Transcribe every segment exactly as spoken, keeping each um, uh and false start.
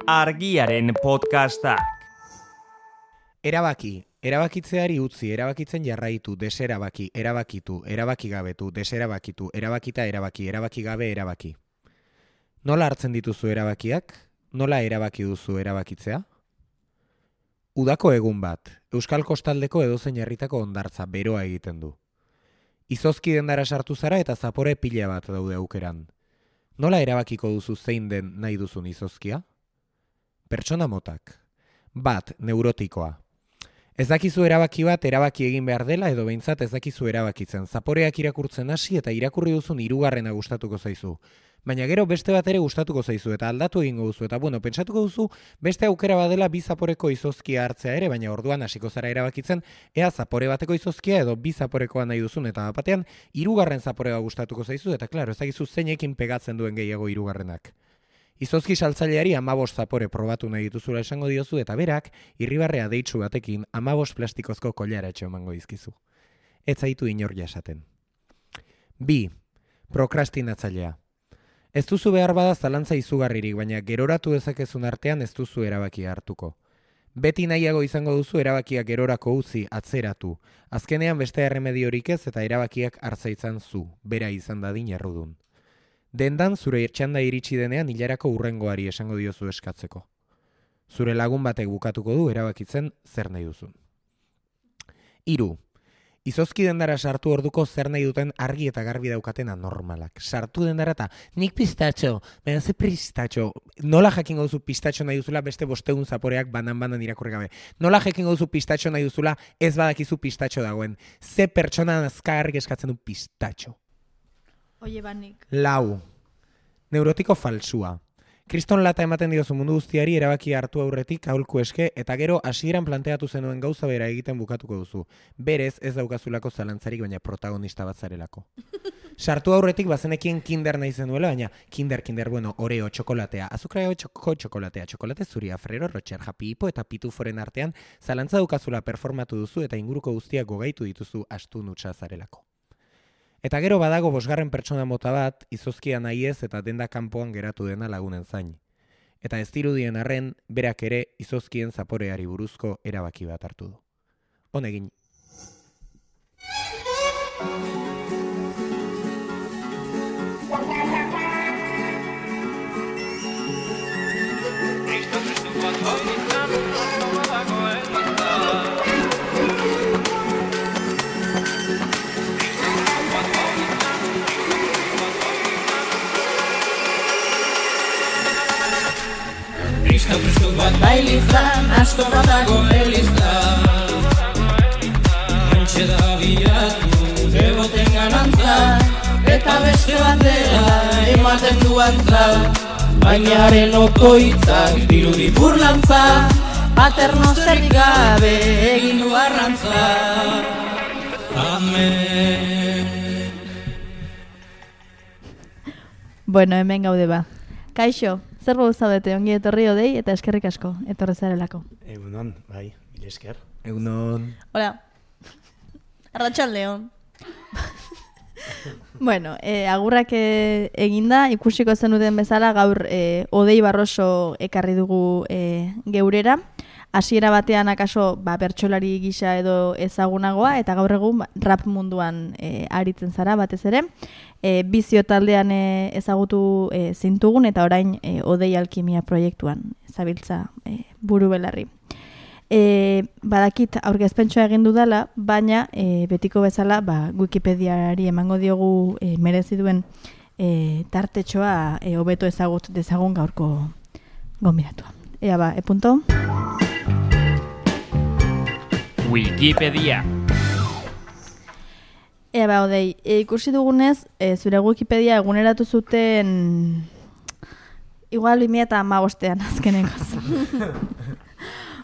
Argiaren podcastak. Erabaki, erabakitzeari utzi, erabakitzen jarraitu, deserabaki, erabakitu, erabakigabetu, deserabakitu, erabakita erabaki, erabakigabe erabaki. Nola hartzen dituzu erabakiak? Nola erabaki duzu erabakitzea? Udako egun bat, Euskal Kostaldeko edozein herritako hondartza beroa egiten du. Izozki dendara sartu zara eta zapore pila bat daude aukeran. Nola erabakiko duzu zein den nahi duzun izozkia? Pertsona motak. Bat, neurotikoa. Ez dakizu erabaki bat erabaki egin behar dela edo behintzat ez dakizu erabakitzen. Zaporeak irakurtzen hasi eta irakurri duzun hirugarrena gustatuko zaizu. Baina gero beste bat ere gustatuko zaizu eta aldatu egingo duzu eta bueno, pentsatuko duzu beste aukera badela bi zaporeko izozkia hartzea ere, baina orduan hasiko zara erabakitzen ea zapore bateko izozkia edo bi zaporekoa nahi duzun eta batean hirugarren zaporea gustatuko zaizu eta claro, ez dakizu zeinekin pegatzen duen gehiago hirugarrenak. Izozki saltzaileari hamabost zapore probatu nahi dituzula esango diozu eta berak irribarrea deitsu batekin hamabost plastikozko koilara etxe emango dizkizu. Ez zaitu inor jasaten. Bi. Prokrastinatzailea. Ez duzu behar bada zalantza izugarririk, baina geroratu dezakezun artean ez duzu erabakia hartuko. Beti nahiago izango duzu erabakiak gerorako utzi, atzeratu. Azkenean beste erremediorik ez eta erabakiak hartza izan zu, bera izan dadin errudun. Dendan zure txanda iritsi denean hilarako hurrengoari esango diozu eskatzeko. Zure lagun batek bukatuko du erabakitzen zer nahi duzun. Hiru. Izozki dendara sartu orduko zer nahi duten argi eta garbi daukaten anormalak. Sartu dendara eta nik pistatxo, baina ze pistatxo. Nola jakingo duzu pistatxo nahi duzula beste bostegun zaporeak banan-banan irakurri gabe. Nola jakingo duzu pistatxo nahi duzula ez badakizu pistatxo dagoen. Ze pertsona azkarrik eskatzen du pistatxo. Oie banik. Lau. Neurotiko falsua. Kriston lata ematen diozu mundu guztiari erabaki hartu aurretik aholku eske eta gero hasieran planteatu zenuen gauza bera egiten bukatuko duzu. Berez ez daukazulako zalantzarik baina protagonista bat zarelako. Sartu aurretik bazenekien kinder nahi zenuela, baina kinder, kinder, bueno, oreo, txokolatea, azukreo txoko, txokolatea, txokolate zuria, Ferrero Rocher, Happy Hippo eta Pituforen artean zalantza daukazula performatu duzu eta inguruko guztiak gogaitu dituzu astu nutsa zarelako. Eta gero badago bosgarren pertsona mota bat, izozkia nahi ez eta denda kanpoan geratu dena lagunen zain. Eta ez dirudien arren, berak ere izozkien zaporeari buruzko erabaki bat hartu du. Honegin. Kristo Kristo bat bailizan, asto batago elizan. Hantxe da bilatu, deboten ganantza, eta beste batera ematen duantza. Bainaren okoitzak dirudi burlantza, paternosterik gabe egin du arrantza. Amen. Bueno, hemen gaude ba. Kaixo. Zer bau zaudete, ongi etorri odei eta eskerrik asko, etorri zarelako. Egunon, bai, mila esker. Egunon. Hola. Arratsaldeon. Bueno, eh, agurrak eh, eginda, ikusiko zenuten bezala gaur eh, Odei Barroso ekarri dugu eh, geurera. Hasiera batean akaso ba, bertsolari gisa edo ezagunagoa eta gaur egun rap munduan eh, aritzen zara batez ere. E, bizio taldean e, ezagutu e, zintugun eta orain e, Odei Alkimia proiektuan zabiltza e, buru belarri. E, badakit aurkezpentsua egin dudala, baina e, betiko bezala ba, Wikipediari emango diogu e, merezi duen e, tartetxoa e, hobeto ezagut dezagun gaurko gonbidatua. Ea ba, e punto. Wikipedia. Ea ba, Odei, e, ikusi dugunez, e, zure Wikipedia eguneratu zuten igual bi mila hamabostean azkenengoz.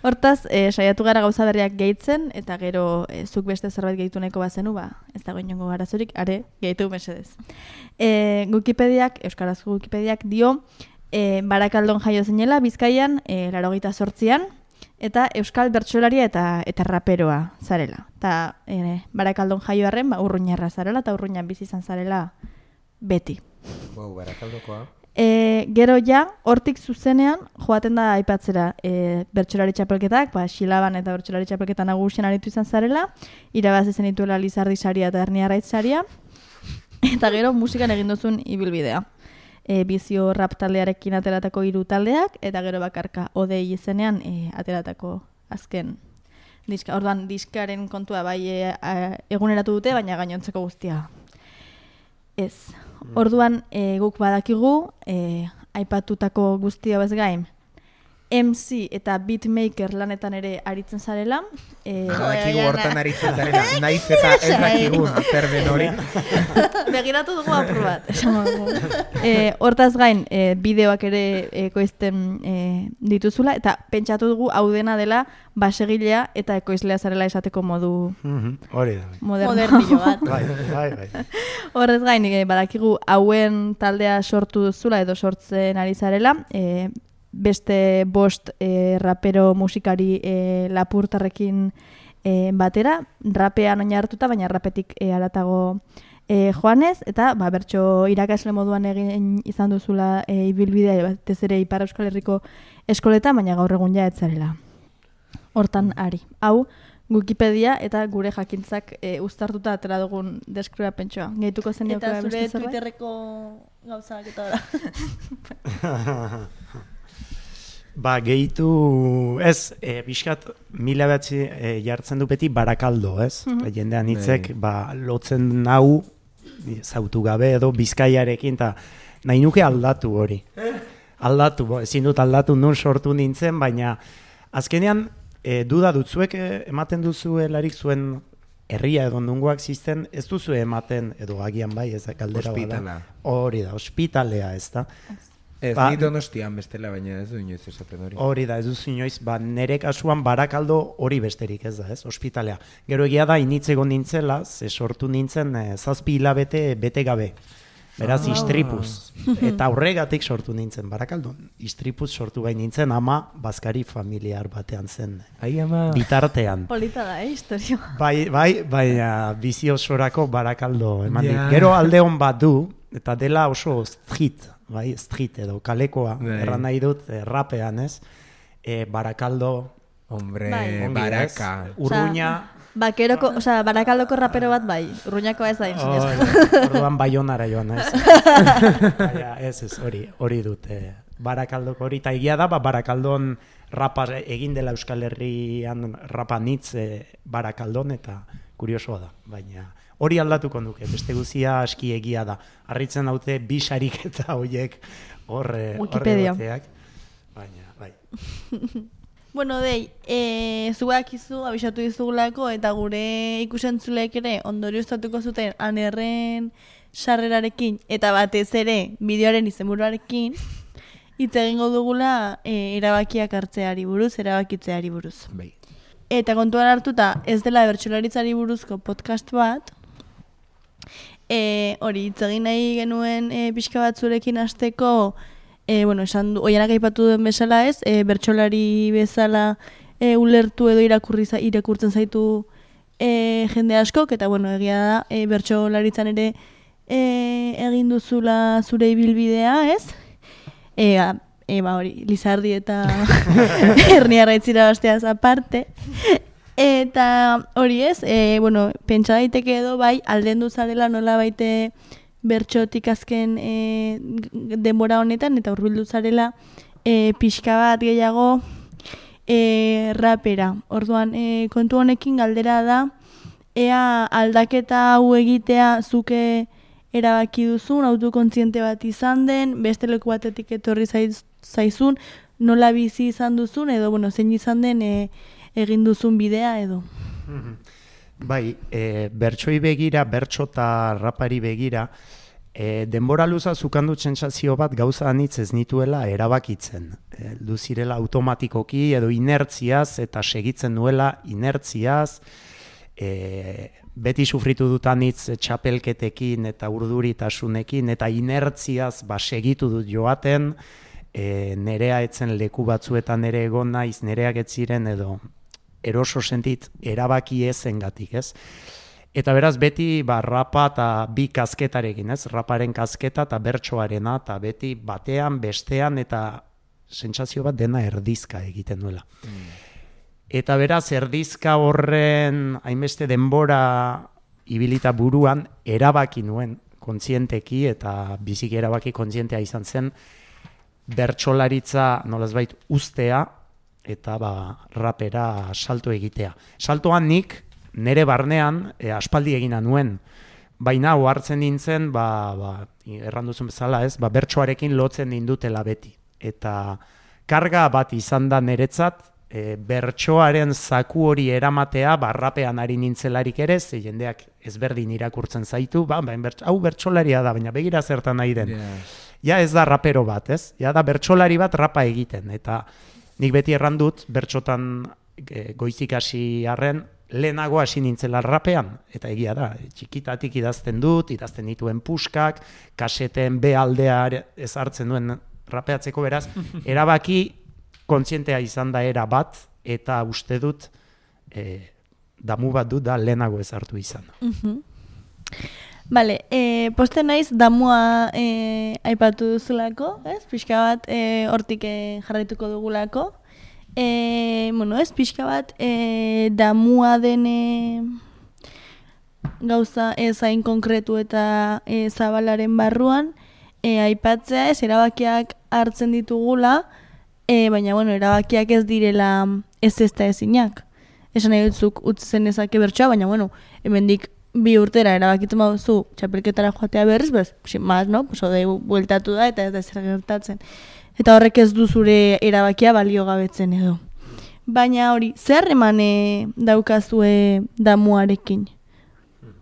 Hortaz, e, saiatu gara gauza berriak gehitzen, eta gero e, zuk beste zerbait gehitu nahiko bazenu, ba, ez dago inongo garazorik, are, gehitu mesedez. E, Wikipediak, euskarazko Wikipediak dio, e, Barakaldon jaio zinela, Bizkaian, e, laurogeita zortzian, eta euskal bertsolaria eta eta raperoa zarela. Ta e, Barakaldon jaioarren ba urruñarra zarela eta urruñan bizi izan zarela beti. Wow, Barakaldokoa. E, gero ja, hortik zuzenean, joaten da aipatzera e, bertsolari txapelketak, ba, Xilaban eta bertsolari txapelketan nagusien aritu izan zarela, irabazi zen dituela Lizardi saria eta Ernia Arraitz saria, eta gero musikan egin duzun ibilbidea. E, bizio rap taldearekin ateratako hiru taldeak, eta gero bakarka odei izenean e, ateratako azken diska. Orduan, diskaren kontua bai e, a, eguneratu dute, baina gainontzeko guztia ez. Orduan, e, guk badakigu, e, aipatutako guztia bez gain, M C eta beatmaker lanetan ere aritzen zarela. E, Badakigu hortan aritzen zarela, naiz eta ez dakigun zer den hori. Begiratu dugu apur bat, esango dugu. E, hortaz gain, e, bideoak ere ekoizten e, dituzula, eta pentsatu dugu hau dena dela basegilea eta ekoizlea zarela esateko modu Hori da. moderno. Modernillo bat. Bai, bai, bai. Horrez gain, e, badakigu hauen taldea sortu duzula edo sortzen ari zarela, e, beste bost e, rapero musikari e, lapurtarrekin e, batera, rapean oinartuta, baina rapetik e, aratago e, joanez, eta ba, bertso irakasle moduan egin izan duzula e, ibilbidea, batez ere Ipar Euskal Herriko eskoletan, baina gaur egun ja ez zarela. Hortan ari. Hau, Wikipedia eta gure jakintzak e, uztartuta atera dugun deskribapentsoa. Gehituko zen Eta beste zure zerbait? Twitterreko gauzak eta ora. Ba, gehitu, ez, e, bizkat, mila batzi e, jartzen du beti Barakaldo, ez? Mm -hmm. Jendean hitzek, ba, lotzen nau, zautu gabe edo Bizkaiarekin, eta nahi nuke aldatu hori. Aldatu, bo, ezin dut aldatu nun sortu nintzen, baina azkenean, e, duda dut, zuek e, ematen duzuelarik zuen herria edo nungoak zisten, ez duzu ematen, edo agian bai, ez da kaldera bada. Hori da, ospitalea, ez da. Ez, ba, ni Donostian bestela, baina ez du inoiz esaten hori. Hori da, ez duzu inoiz, ba, nere kasuan Barakaldo hori besterik ez da, ez, ospitalea. Gero egia da, initz egon nintzela, ze sortu nintzen e, zazpi hilabete bete gabe. Beraz, ah. istripuz. Eta horregatik sortu nintzen Barakaldon. Istripuz sortu gai nintzen, ama bazkari familiar batean zen. Ai, ama. Polita Bitartean. da, eh, historio. Bai, bai, baina bizi osorako Barakaldo eman dit. Ja. Gero alde hon bat du, eta dela oso street, bai, street edo kalekoa, bai. erran nahi dut, eh, rapean, ez? E, Barakaldo, Hombre, Bai. baraka. Urruña, Bakeroko, osea, Barakaldoko rapero bat bai, Urruñakoa ez da oh, insinez. orduan Baionara joan, ez? Baina, ez, ez, hori, hori dut, eh, Barakaldoko hori, eta egia da, ba, Barakaldon rapa egin dela Euskal Herrian rapa nitz eh, Barakaldon, eta kuriosoa da, baina hori aldatuko nuke, beste guzia aski egia da. Harritzen daute bi sarik eta horiek horre Wikipedia. bateak, baina, bai. Bueno, dei, e, zuak izu, abisatu dizugulako, eta gure ikusentzulek ere ondorioztatuko zuten anerren sarrerarekin, eta batez ere bideoaren izenburuarekin, hitz egingo dugula e, erabakiak hartzeari buruz, erabakitzeari buruz. Bai. Eta kontuan hartuta ez dela bertsolaritzari buruzko podcast bat, e, hori hitz egin nahi genuen e, pixka bat zurekin hasteko, e, bueno, esan du, oianak aipatu duen bezala ez, e, bertsolari bezala e, ulertu edo irakurri za, irakurtzen zaitu e, jende askok, eta bueno, egia da, e, bertsolaritzan ere e, egin duzula zure ibilbidea, ez? E, a, e, ba hori, Lizardi eta Ernia Arraitz irabasteaz aparte. Eta hori ez, e, bueno, pentsa daiteke edo bai, aldendu zarela nola baite bertxotik azken e, denbora honetan, eta hurbildu zarela e, pixka bat gehiago e, rapera. Orduan, e, kontu honekin galdera da, ea aldaketa hau egitea zuke erabaki duzun, autokontziente bat izan den, beste leku batetik etorri zaiz, zaizun, nola bizi izan duzun, edo, bueno, zein izan den e, egin duzun bidea, edo. Bai, e, bertsoi begira, bertso eta rapari begira, e, denbora luza zukandu sentsazio bat gauza anitz ez nituela erabakitzen. E, Luzirela automatikoki edo inertziaz eta segitzen nuela inertziaz, e, beti sufritu dut anitz txapelketekin eta urduritasunekin eta inertziaz ba, segitu dut joaten, e, nerea etzen leku batzuetan ere egon naiz, nereak ez ziren edo eroso sentit erabaki ezengatik, ez? Eta beraz beti ba, rapa eta bi kasketarekin, ez? Raparen kasketa eta bertsoarena, eta beti batean, bestean, eta sentsazio bat dena erdizka egiten duela. Mm. Eta beraz erdizka horren hainbeste denbora ibilita buruan erabaki nuen kontzienteki eta biziki erabaki kontzientea izan zen bertsolaritza nolazbait ustea eta ba, rapera salto egitea. Saltoan nik nere barnean e, aspaldi egina nuen, baina ohartzen nintzen, ba, ba, erranduzun bezala ez, ba, bertsoarekin lotzen nindutela beti. Eta karga bat izan da niretzat, e, bertsoaren zaku hori eramatea, ba, rapean ari nintzelarik ere, ze jendeak ezberdin irakurtzen zaitu, ba, ba, bertso, hau bertsolaria da, baina begira zertan nahi den. Yeah. Ja ez da rapero bat, ez? Ja da bertsolari bat rapa egiten, eta nik beti errandut, bertsotan e, goizik hasi arren, lehenago hasi nintzela rapean, eta egia da, txikitatik idazten dut, idazten dituen puskak, kaseten be aldea ez hartzen duen rapeatzeko, beraz, erabaki kontzientea izan da era bat, eta uste dut, e, damu bat dut da lehenago ez hartu izan. Uh-huh. Bale, e, poste naiz damua e, aipatu duzulako, ez? Pixka bat e, hortik e, jarraituko dugulako. E, bueno, ez, pixka bat e, damua den e, gauza ez hain konkretu eta e, zabalaren barruan, e, aipatzea ez, erabakiak hartzen ditugula, e, baina, bueno, erabakiak ez direla ez ezta ezinak. Esan nahi dutzuk utzen ezake bertsoa, baina, bueno, hemendik bi urtera erabakitzen baduzu txapelketara joatea berriz, bez, maz, no? Pues, ode, bueltatu da eta ez da zer gertatzen. Eta horrek ez du zure erabakia balio gabetzen edo. Baina hori, zer emane daukazue damuarekin?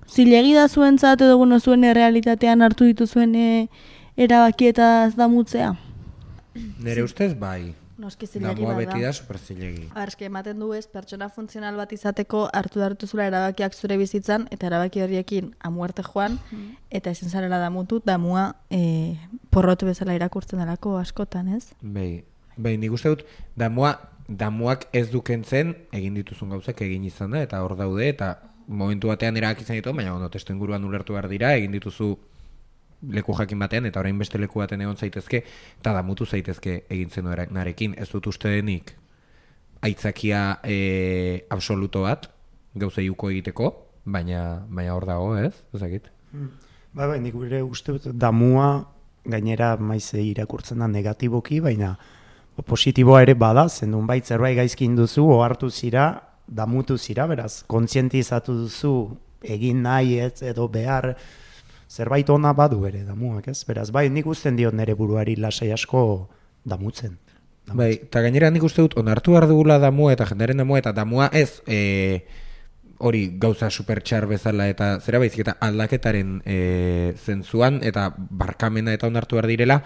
Zilegi da zuentzat edo bueno, zuen errealitatean hartu dituzuen erabakietaz damutzea? Nere ustez bai. Noski zilegi Damua bada. beti da super zilegi. Arski ematen du ez, pertsona funtzional bat izateko hartu hartu zula erabakiak zure bizitzan, eta erabaki horiekin amuerte joan, mm. eta ezin zarela damutu, damua e, porrotu bezala irakurtzen delako askotan, ez? Bai, bai, nik uste dut, damua, damuak ez dukentzen egin dituzun gauzak egin izan da, eta hor daude, eta momentu batean erabaki izan ditu, baina ono, testu inguruan ulertu behar dira, egin dituzu leku jakin batean, eta orain beste leku baten egon zaitezke, eta damutu zaitezke egin zen narekin. Ez dut uste denik aitzakia e, absoluto bat, gauza iuko egiteko, baina baina hor dago, ez? Ezakit. Hmm. Ba, bai, nik gure uste dut damua gainera maize irakurtzen da negatiboki, baina positiboa ere bada, zendun bait zerbait gaizkin duzu, ohartu zira, damutu zira, beraz, kontzientizatu duzu egin nahi ez edo behar, zerbait ona badu ere damuak, ez? Beraz, bai, nik usten diot nere buruari lasai asko damutzen. damutzen. Bai, eta gainera nik uste dut onartu behar dugula damua eta jendearen damua, eta damua ez e, hori gauza supertxar bezala eta zera baizik eta aldaketaren e, zentzuan eta barkamena eta onartu behar direla,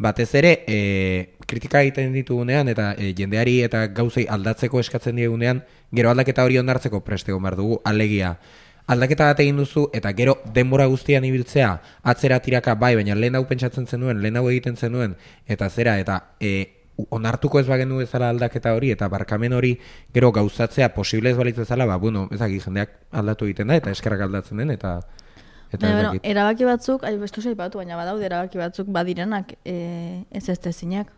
batez ere e, kritika egiten ditugunean eta e, jendeari eta gauzei aldatzeko eskatzen diegunean, gero aldaketa hori onartzeko preste egon behar dugu, alegia. Aldaketa bat egin duzu, eta gero denbora guztian ibiltzea, atzera tiraka bai, baina lehen hau pentsatzen zenuen, lehen hau egiten zenuen, eta zera, eta e, onartuko ez bagenu bezala aldaketa hori, eta barkamen hori gero gauzatzea posible ez balitz bezala, ba, bueno, ezak jendeak aldatu egiten da, eta eskerrak aldatzen den, eta... eta Baina, bueno, erabaki batzuk, ai, bestu zaipatu, baina badaude erabaki batzuk badirenak e, ez ez tezinak.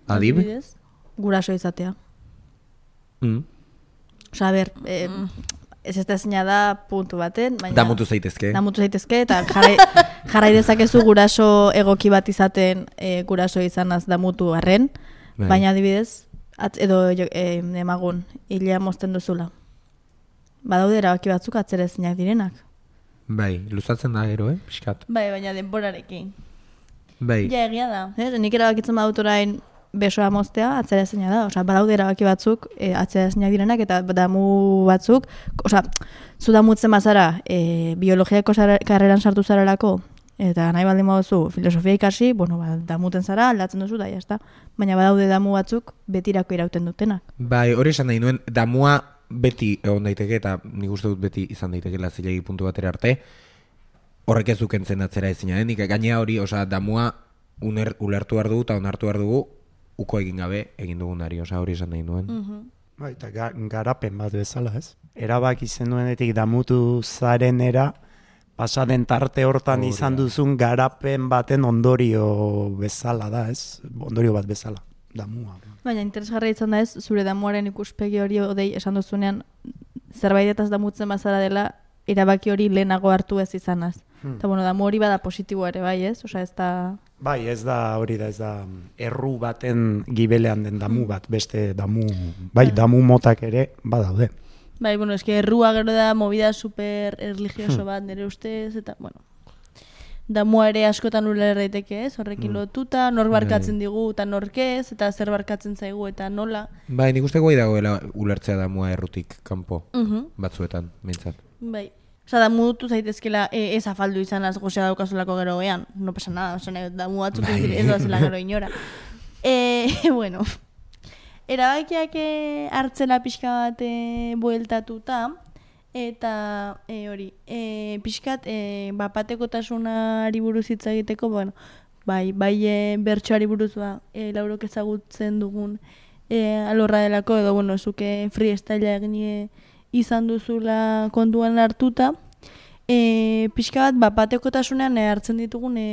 Adib? Guraso izatea. Mm. Osa, a ber... E, mm. Ez ez da zina da puntu baten, baina... Damutu zaitezke. Damutu zaitezke, eta jarrai, jarrai dezakezu guraso egoki bat izaten e, guraso izanaz damutu arren, bai. Baina adibidez, atz, edo e, emagun, hilea mozten duzula. Badaude erabaki batzuk atzerezinak direnak. Bai, luzatzen da gero, eh, pixkat. Bai, baina denborarekin. Bai. Ja, egia da. Ez, nik erabakitzen badut orain besoa moztea atzerezina da, osea, badaude erabaki batzuk e, atzerezinak direnak eta damu batzuk, osea, zu damutzen bazara e, biologiako karreran sartu zarelako eta nahi baldin baduzu filosofia ikasi, bueno, ba, damuten zara, aldatzen duzu da, jazta. Baina badaude damu batzuk betirako irauten dutenak. Bai, hori esan nahi nuen, damua beti egon daiteke eta nik uste dut beti izan daitekeela zilegi puntu batera arte, horrek ez dukentzen atzera ezina denik, gainea hori, osea, damua uner, ulertu behar dugu eta onartu behar dugu uko egin gabe egin dugunari, osea hori esan nahi nuen. Uh-huh. Bai, eta ga, garapen bat bezala, ez? Erabaki zenuenetik damutu zarenera, pasaden tarte hortan Hori izan da. duzun garapen baten ondorio bezala da, ez? Ondorio bat bezala, damua. Baina interesgarria izan da ez, zure damuaren ikuspegi hori odei esan duzunean, zerbaitetaz damutzen bazara dela, erabaki hori lehenago hartu ez izanaz. Hmm. Eta bueno, damu hori bada positiboa ere, bai ez? Osea, ez da... Bai, ez da hori da, ez da erru baten gibelean den damu bat, beste damu, bai, damu motak ere badaude. Bai, bueno, eske errua gero da movida super religioso bat nire ustez, eta, bueno, damua ere askotan uler daiteke ez, horrekin lotuta, nor barkatzen digu eta norkez, eta zer barkatzen zaigu eta nola. Bai, nik uste guai dagoela ulertzea damua errutik kanpo, Mhm. batzuetan, mintzat. Bai. Osa, damutu zaitezkela e, ez afaldu izanaz gozea daukazulako gero gean. No pasa nada, osa, damu batzuk Bai. ez doazela gero inora. E, bueno, erabakiak eh, hartzela pixka bat eh, bueltatuta, eta e, hori, e, pixkat e, bapatekotasunari buruz hitz egiteko, bueno, bai, bai e, bertsoari buruz ba, e, laurok ezagutzen dugun e, alorra delako, edo, bueno, zuke freestylea egin e, izan duzula kontuan hartuta, e, pixka bat bapatekotasunean e, hartzen ditugun e,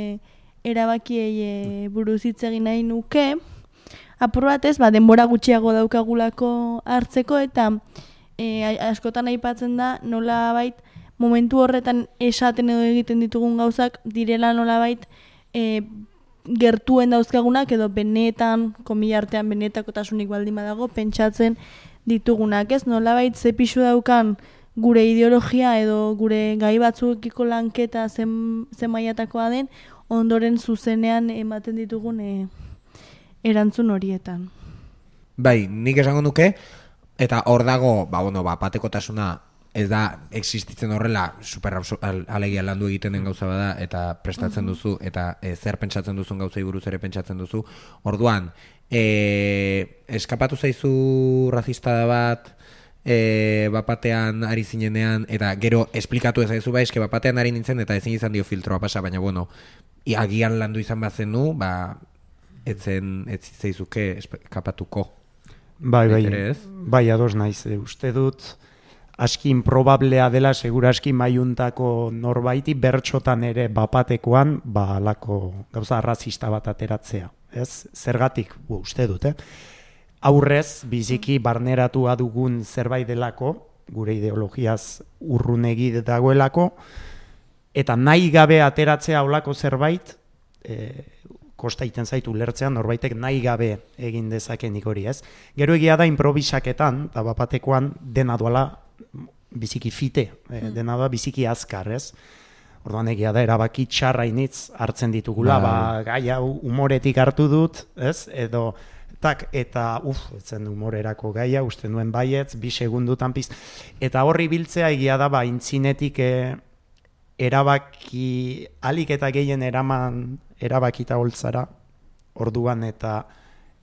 erabakiei e, buruz hitz egin nahi nuke, apur batez, ba, denbora gutxiago daukagulako hartzeko, eta e, askotan aipatzen da nola bait momentu horretan esaten edo egiten ditugun gauzak direla nola bait e, gertuen dauzkagunak edo benetan, komila artean benetakotasunik baldin badago, pentsatzen ditugunak, ez? Nolabait ze pisu daukan gure ideologia edo gure gai batzuekiko lanketa zen, zen mailatakoa den, ondoren zuzenean ematen ditugun e, erantzun horietan. Bai, nik esango nuke, eta hor dago, ba, bueno, ba, patekotasuna ez da existitzen horrela super alegia landu egiten den gauza bada eta prestatzen duzu eta e, zer pentsatzen duzun gauzei buruz ere pentsatzen duzu. Orduan, e, eskapatu zaizu razistada bat e, bapatean ari zinenean eta gero esplikatu ez zaizu bai, eske bapatean ari nintzen eta ezin izan dio filtroa pasa, baina bueno, agian landu izan bazenu, ba, etzen ez zaizuke eskapatuko. Bai, bai, Ere ez? bai, ados naiz, e, uste dut aski improbablea dela segura aski maiuntako norbaiti bertxotan ere bapatekoan ba alako gauza arrazista bat ateratzea, ez? Zergatik, bu, uste dut, eh? Aurrez, biziki barneratua dugun zerbait delako, gure ideologiaz urrunegi dagoelako, eta nahi gabe ateratzea olako zerbait, e, kosta iten zaitu lertzean norbaitek nahi gabe egin dezakenik hori, ez? Gero egia da improvisaketan, eta bapatekoan dena duala biziki fite, eh, dena da biziki azkar, ez? Orduan egia da, erabaki txarrainitz hartzen ditugula, ba, gai hau umoretik hartu dut, ez? Edo, tak, eta, uf, etzen umorerako gaia, uste nuen baietz, bi segundutan piz. Eta horri biltzea egia da, ba, intzinetik eh, erabaki, alik eta gehien eraman, erabakita holtzara, orduan eta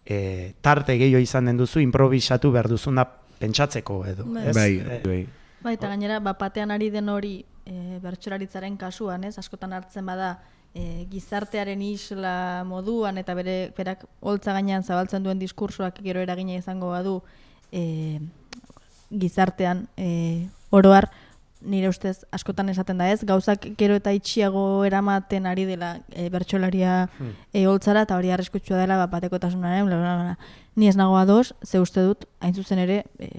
eh, tarte gehiago izan den duzu, improvisatu behar duzuna pentsatzeko edo. Bai. Ez? Bai, Eh, bai. Bai, eta gainera, bapatean ari den hori e, bertsolaritzaren kasuan, ez? Askotan hartzen bada e, gizartearen isla moduan eta bere berak holtza gainean zabaltzen duen diskursoak gero eragina izango badu e, gizartean e, oroar, nire ustez askotan esaten da ez, gauzak gero eta itxiago eramaten ari dela e, bertsolaria e, holtzara, eta hori arriskutsua dela bapatekotasunaren, bla, bla, bla. Ni ez nago ados, ze uste dut, hain zuzen ere, e,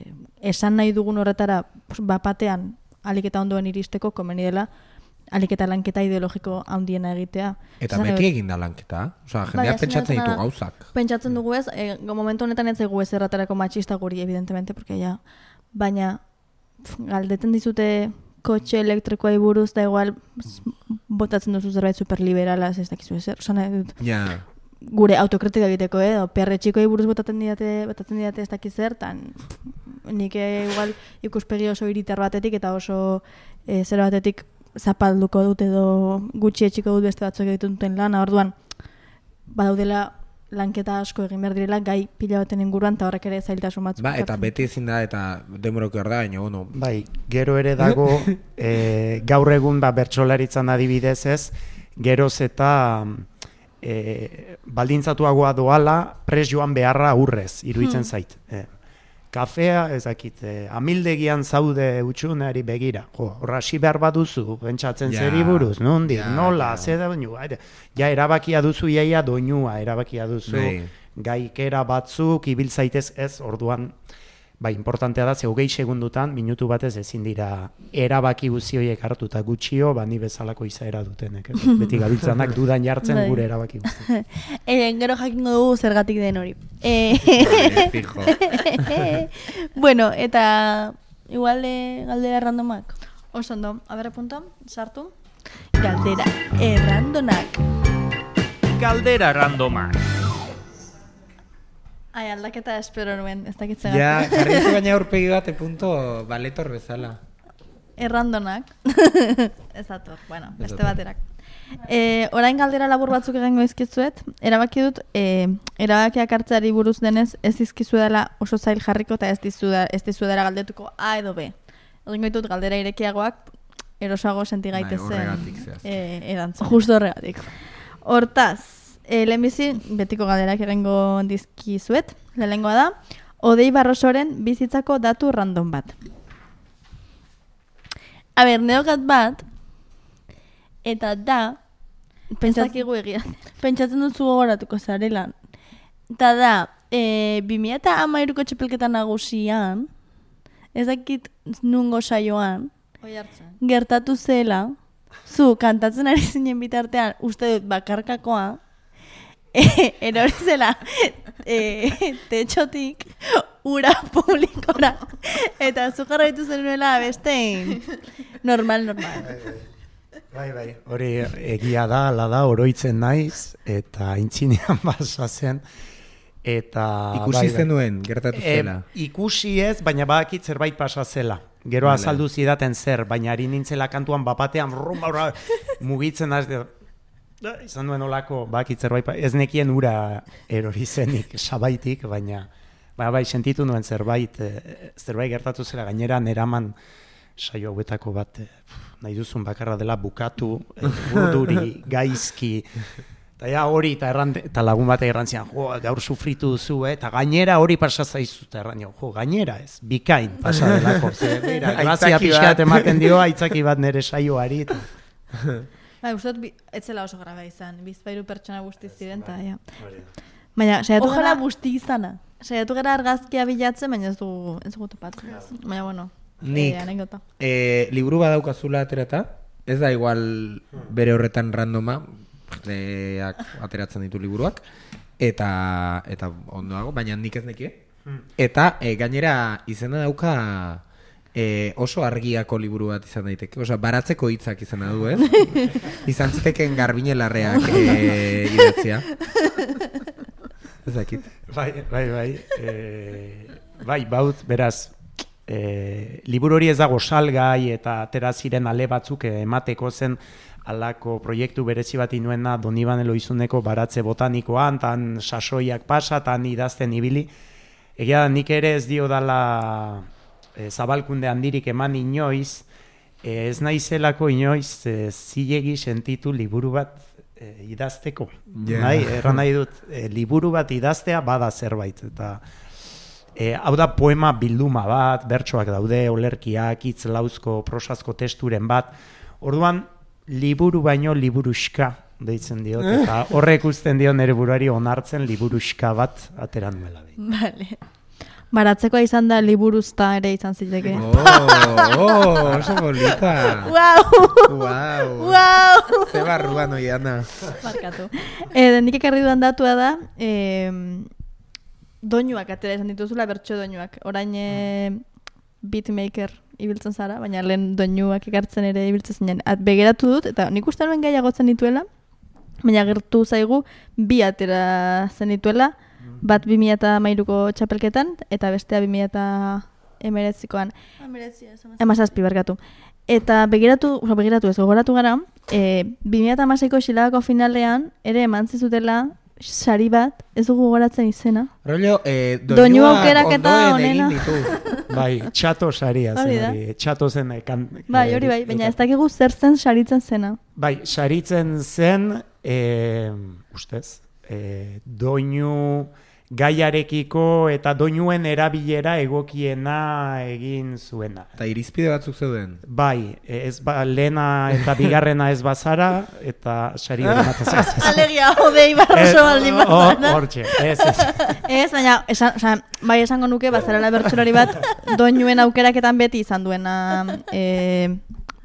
esan nahi dugun horretara bapatean aliketa ondoen iristeko komeni dela, aliketa lanketa ideologiko handiena egitea. Eta Esan beti nahi- egin da lanketa. Osea, Bai, jendeak azken pentsatzen ditu dena da, gauzak. Pentsatzen dugu ez, e, momentu honetan ez zaigu ez erratarako matxista guri, evidentemente, porque ja, baina pf, galdetzen dizute kotxe elektrikoai buruz, da igual s- botatzen duzu zerbait superliberala, ez dakizu ezer. Osa nahi dut, Ja, gure autokritika egiteko, eh? O perre txikoi buruz botatzen didate, botatzen didate ez dakiz zer, tan nik eh, igual ikuspegi oso hiritar batetik eta oso eh, zer batetik zapalduko dut edo gutxi etxiko dut beste batzuk egiten duten lana, orduan badaudela lanketa asko egin behar direla gai pila baten inguruan eta horrek ere zailtasun batzuk. ba, eta ekartzen. beti ezin da, eta denborok hor da, baina, bueno, Bai, gero ere dago, e, gaur egun ba, bertsolaritzan adibidez ez, geroz eta e, baldintzatuagoa doala pres joan beharra aurrez, iruditzen zait. E, kafea, ez dakit, eh, amildegian zaude utxuneari begira. Jo, horra hasi behar baduzu, pentsatzen Ja, zeri buruz, nondik, ja, nola, ja. ze da doinua. ere, Ja, erabakia duzu iaia doinua, erabakia duzu Bai. gaikera batzuk, ibil zaitez ez, orduan, bai, importantea da, ze hogei segundutan, minutu batez ezin dira erabaki guzti horiek hartu eta gutxio, ba ni bezalako izaera dutenek. Ez? Beti gabiltzanak dudan jartzen Bai. gure erabaki guzti. E, gero jakingo dugu zergatik den hori. E, Vale, fijo. bueno, eta igual eh, galdera randomak. Oso ondo, abere punto, sartu. Galdera errandonak. Galdera randomak. Ai, aldaketa espero nuen, ez dakitzen. Ja, jarri baina aurpegi bat, punto baletor bezala. Errandonak. Ez dator, bueno, Ez beste dator. baterak. E, orain galdera labur batzuk egingo izkizuet, erabaki dut, e, erabakiak hartzeari buruz denez, ez izkizu dela oso zail jarriko eta ez dizu, da, ez dizu dela galdetuko A edo B. Egingo ditut galdera irekiagoak, erosago senti Bai, gaitezen horregatik zehazki. e, erantzun. Justo horregatik. Hortaz, e, lehenbizi, betiko galderak egingo dizkizuet, lehenengoa da, Odei Barrosoren bizitzako datu random bat. A ber, neokat bat, eta da, Ez pentsat, dakigu egia. pentsatzen duzu gogoratuko zarela. Eta da, e, bi mila hamairuko txapelketa nagusian, ez dakit nungo saioan, Oi hartzen. gertatu zela, zu kantatzen ari zinen bitartean, uste dut bakarkakoa, e, erori zela e, tetxotik ura publikora, eta zu jarraitu zenuela bestein. Normal, normal. Bai, bai, hori egia da, ala da, oroitzen naiz, eta intzinean basa zen, eta... Ikusi bai, bai. zenuen, gertatu E, zela. ikusi ez, baina badakit zerbait pasa zela. Gero Vale. azaldu zidaten zer, baina ari nintzela kantuan bapatean rumba ura, mugitzen az, de, da, izan duen olako, badakit zerbait, pa- ez nekien ura erori zenik, sabaitik, baina ba, bai, sentitu nuen zerbait, eh, zerbait gertatu zela, gainera neraman saio hauetako bat, eh, nahi duzun bakarra dela bukatu, eh, burduri, gaizki, eta ja hori, eta, erran, eta lagun batek erran zian, jo, gaur sufritu duzu, eh? Eta gainera hori pasa zaizu, eta erran jo, jo, gainera ez, bikain pasa delako, ze, bera, grazia Aitzaki pixkat bat. ematen dio, aitzaki bat nere saioari, eta, Bai, uste dut, bi- ez zela oso graba izan, bizpairu pertsona guzti ziren, eta ja. Baina, saiatu Ojalá gara, busti izana. saiatu gara argazkia bilatzen, baina ez dugu, ez dugu topatzen. Baina, bueno, Nik, eh, anekdota. e, liburu badaukazula aterata, ez da igual bere horretan randoma, jendeak ateratzen ditu liburuak, eta eta ondoago, baina nik ez nekie. Eta e, gainera izena dauka e, oso argiako liburu bat izan daiteke, osea, baratzeko hitzak izena du, ez? Izan ziteken Garbine Larreak e, idatzia. Ez dakit. bai, bai, bai, e, bai, baut, beraz, e, liburu hori ez dago salgai eta atera ziren ale batzuk eh, emateko zen alako proiektu berezi bat inuena Donibane Loizuneko baratze botanikoan, tan sasoiak pasa, tan idazten ibili. Egia da, nik ere ez dio dala e, zabalkunde handirik eman inoiz, e, ez naizelako inoiz e, zilegi sentitu liburu bat e, idazteko. Ja. Nahi, erran nahi dut, e, liburu bat idaztea bada zerbait, eta e, hau da poema bilduma bat, bertsoak daude, olerkiak, hitz lauzko, prosazko testuren bat, orduan, liburu baino liburuxka deitzen diot, eta horrek uzten dio nere buruari onartzen liburuxka bat ateran duela. Vale. Baratzekoa izan da liburuzta ere izan ziteke. Oh, oh, oso bolita. Wow! Wow. Wow! Ze barruan oiana. Markatu. E, nik ekarri dudan datua da, e, doinuak atera izan dituzula, bertso doinuak. Orain e, beatmaker ibiltzen zara, baina lehen doinuak ekartzen ere ibiltzen zinen. At, begeratu dut, eta nik uste nuen gaiagotzen dituela, baina gertu zaigu bi atera zen dituela, bat bi mila hamairuko txapelketan, eta bestea bi mila hemeretzikoan. Emazazpi barkatu. Eta begiratu, oza, begiratu ez, gogoratu gara, e, bi mila hamaseiko xilagako finalean, ere eman zizutela sari bat, ez dugu gogoratzen izena. Rollo, eh, Doinu doinuak aukeraketa ondoen egin onena. ditu. Bai, txato saria zen Hori da. hori, txato zen eh, kan, Bai, hori bai, baina ez dakigu zer zen saritzen zena. Bai, saritzen zen, e, ustez, e, doinu gaiarekiko eta doinuen erabilera egokiena egin zuena. Eta irizpide batzuk zeuden? Bai, ez ba, lehena eta bigarrena ez bazara, eta sari hori matazaz. Alegia, odei barroso baldin bazara. Hortxe, ez, ez. Ez, baina, esan, oza, bai esango nuke, bazarela bertsolari bat, doinuen aukeraketan beti izan duena, e,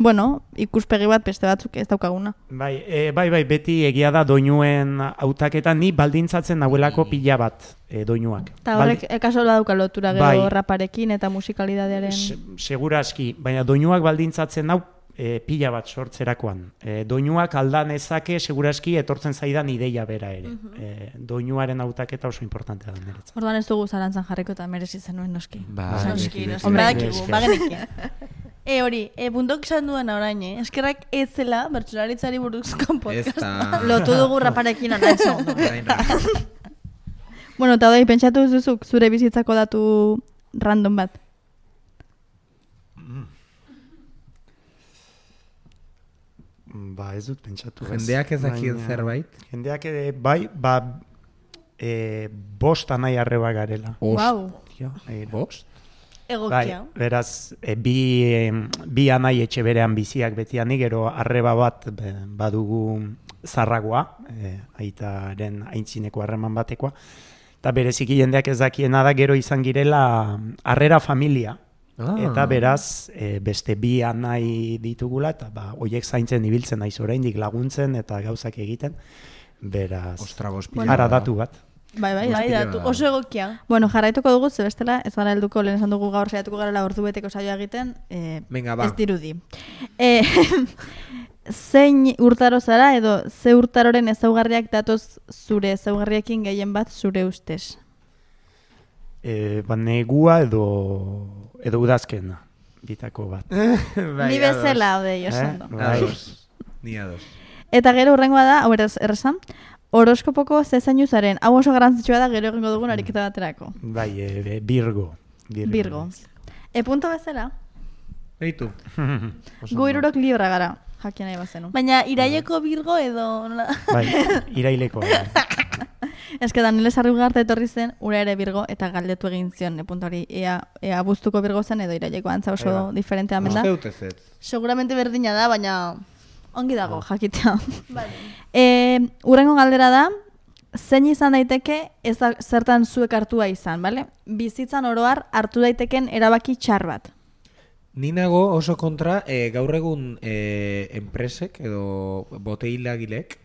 bueno, ikuspegi bat beste batzuk ez daukaguna. Bai, e, bai, bai, beti egia da doinuen hautaketan ni baldintzatzen nahuelako pila bat e, doinuak. Eta horrek Baldi... kaso badauka lotura gero bai, raparekin eta musikalidadearen... Se, segura aski, baina doinuak baldintzatzen hau e, pila bat sortzerakoan. E, doinuak aldan ezake seguraski etortzen zaidan ideia bera ere. Uh-huh. e, doinuaren hautaketa oso importantea da niretzat. Orduan ez dugu zalantzan jarriko eta merezi zenuen noski. Ba, noski, noski. Badakigu, bagenekin. E hori, e, puntok esan duen orain, eh? Eskerrak ez zela bertsolaritzari buruzko podcasta. Lotu dugu raparekin ona eso. Bueno, eta doi, pentsatu duzuk zure bizitzako datu random bat. Ba, ez dut pentsatu. Jendeak ez dakien zerbait? Jendeak ere, bai, ba, e, bost anai arreba garela. Wow. Bost? Egokia. Bai, beraz, e, bi, e, bi anai etxe berean biziak betianik, gero arreba bat be, badugu zarragoa, e, aitaren aintzineko harreman batekoa, eta bereziki jendeak ez dakiena da gero izan girela harrera familia, ah. Eta beraz, e, beste bi anai ditugula, eta ba, oiek zaintzen ibiltzen naiz oraindik laguntzen eta gauzak egiten, beraz, Ostra, ara datu bat. Bai, bai, bai, datu, oso egokia. Bueno, jarraituko dugu, ze bestela, ez gara helduko, lehen esan dugu gaur saiatuko garela ordu beteko saioa egiten, eh, Venga, ba. Ez dirudi. Eh, zein urtaro zara edo ze urtaroren ezaugarriak datoz zure ezaugarriekin gehien bat zure ustez? E, ba, negua edo, edo udazkena, bitako bat. Ni bezala, odei, oso ondo. Eh? Ados. Ni ados. Eta gero urrengoa da, hau eraz errezan, horoskopoko zezainu zaren. Hau oso garrantzitsua da gero egingo dugun ariketa baterako. Bai, e, Virgo. Virgo. Virgo. E punto bezala? Eitu. Gu irurok libra gara, jakin nahi bazenu. Baina iraileko Virgo edo... Nola? Bai, iraileko. Ez que Daniel Sarrugarte etorri zen, ura ere Virgo, eta galdetu egin zion, e punto hori, ea, ea abuztuko Virgo zen edo iraileko antza oso Eba. diferentea amenda. Uste dut ez. Seguramente berdina da, baina... Ongi dago, jakitea. Vale. E, urrengo galdera da, zein izan daiteke ez da zertan zuek hartua izan, bale? Bizitzan oroar hartu daiteken erabaki txar bat. Ni nago oso kontra e, gaur egun e, enpresek edo boteilagilek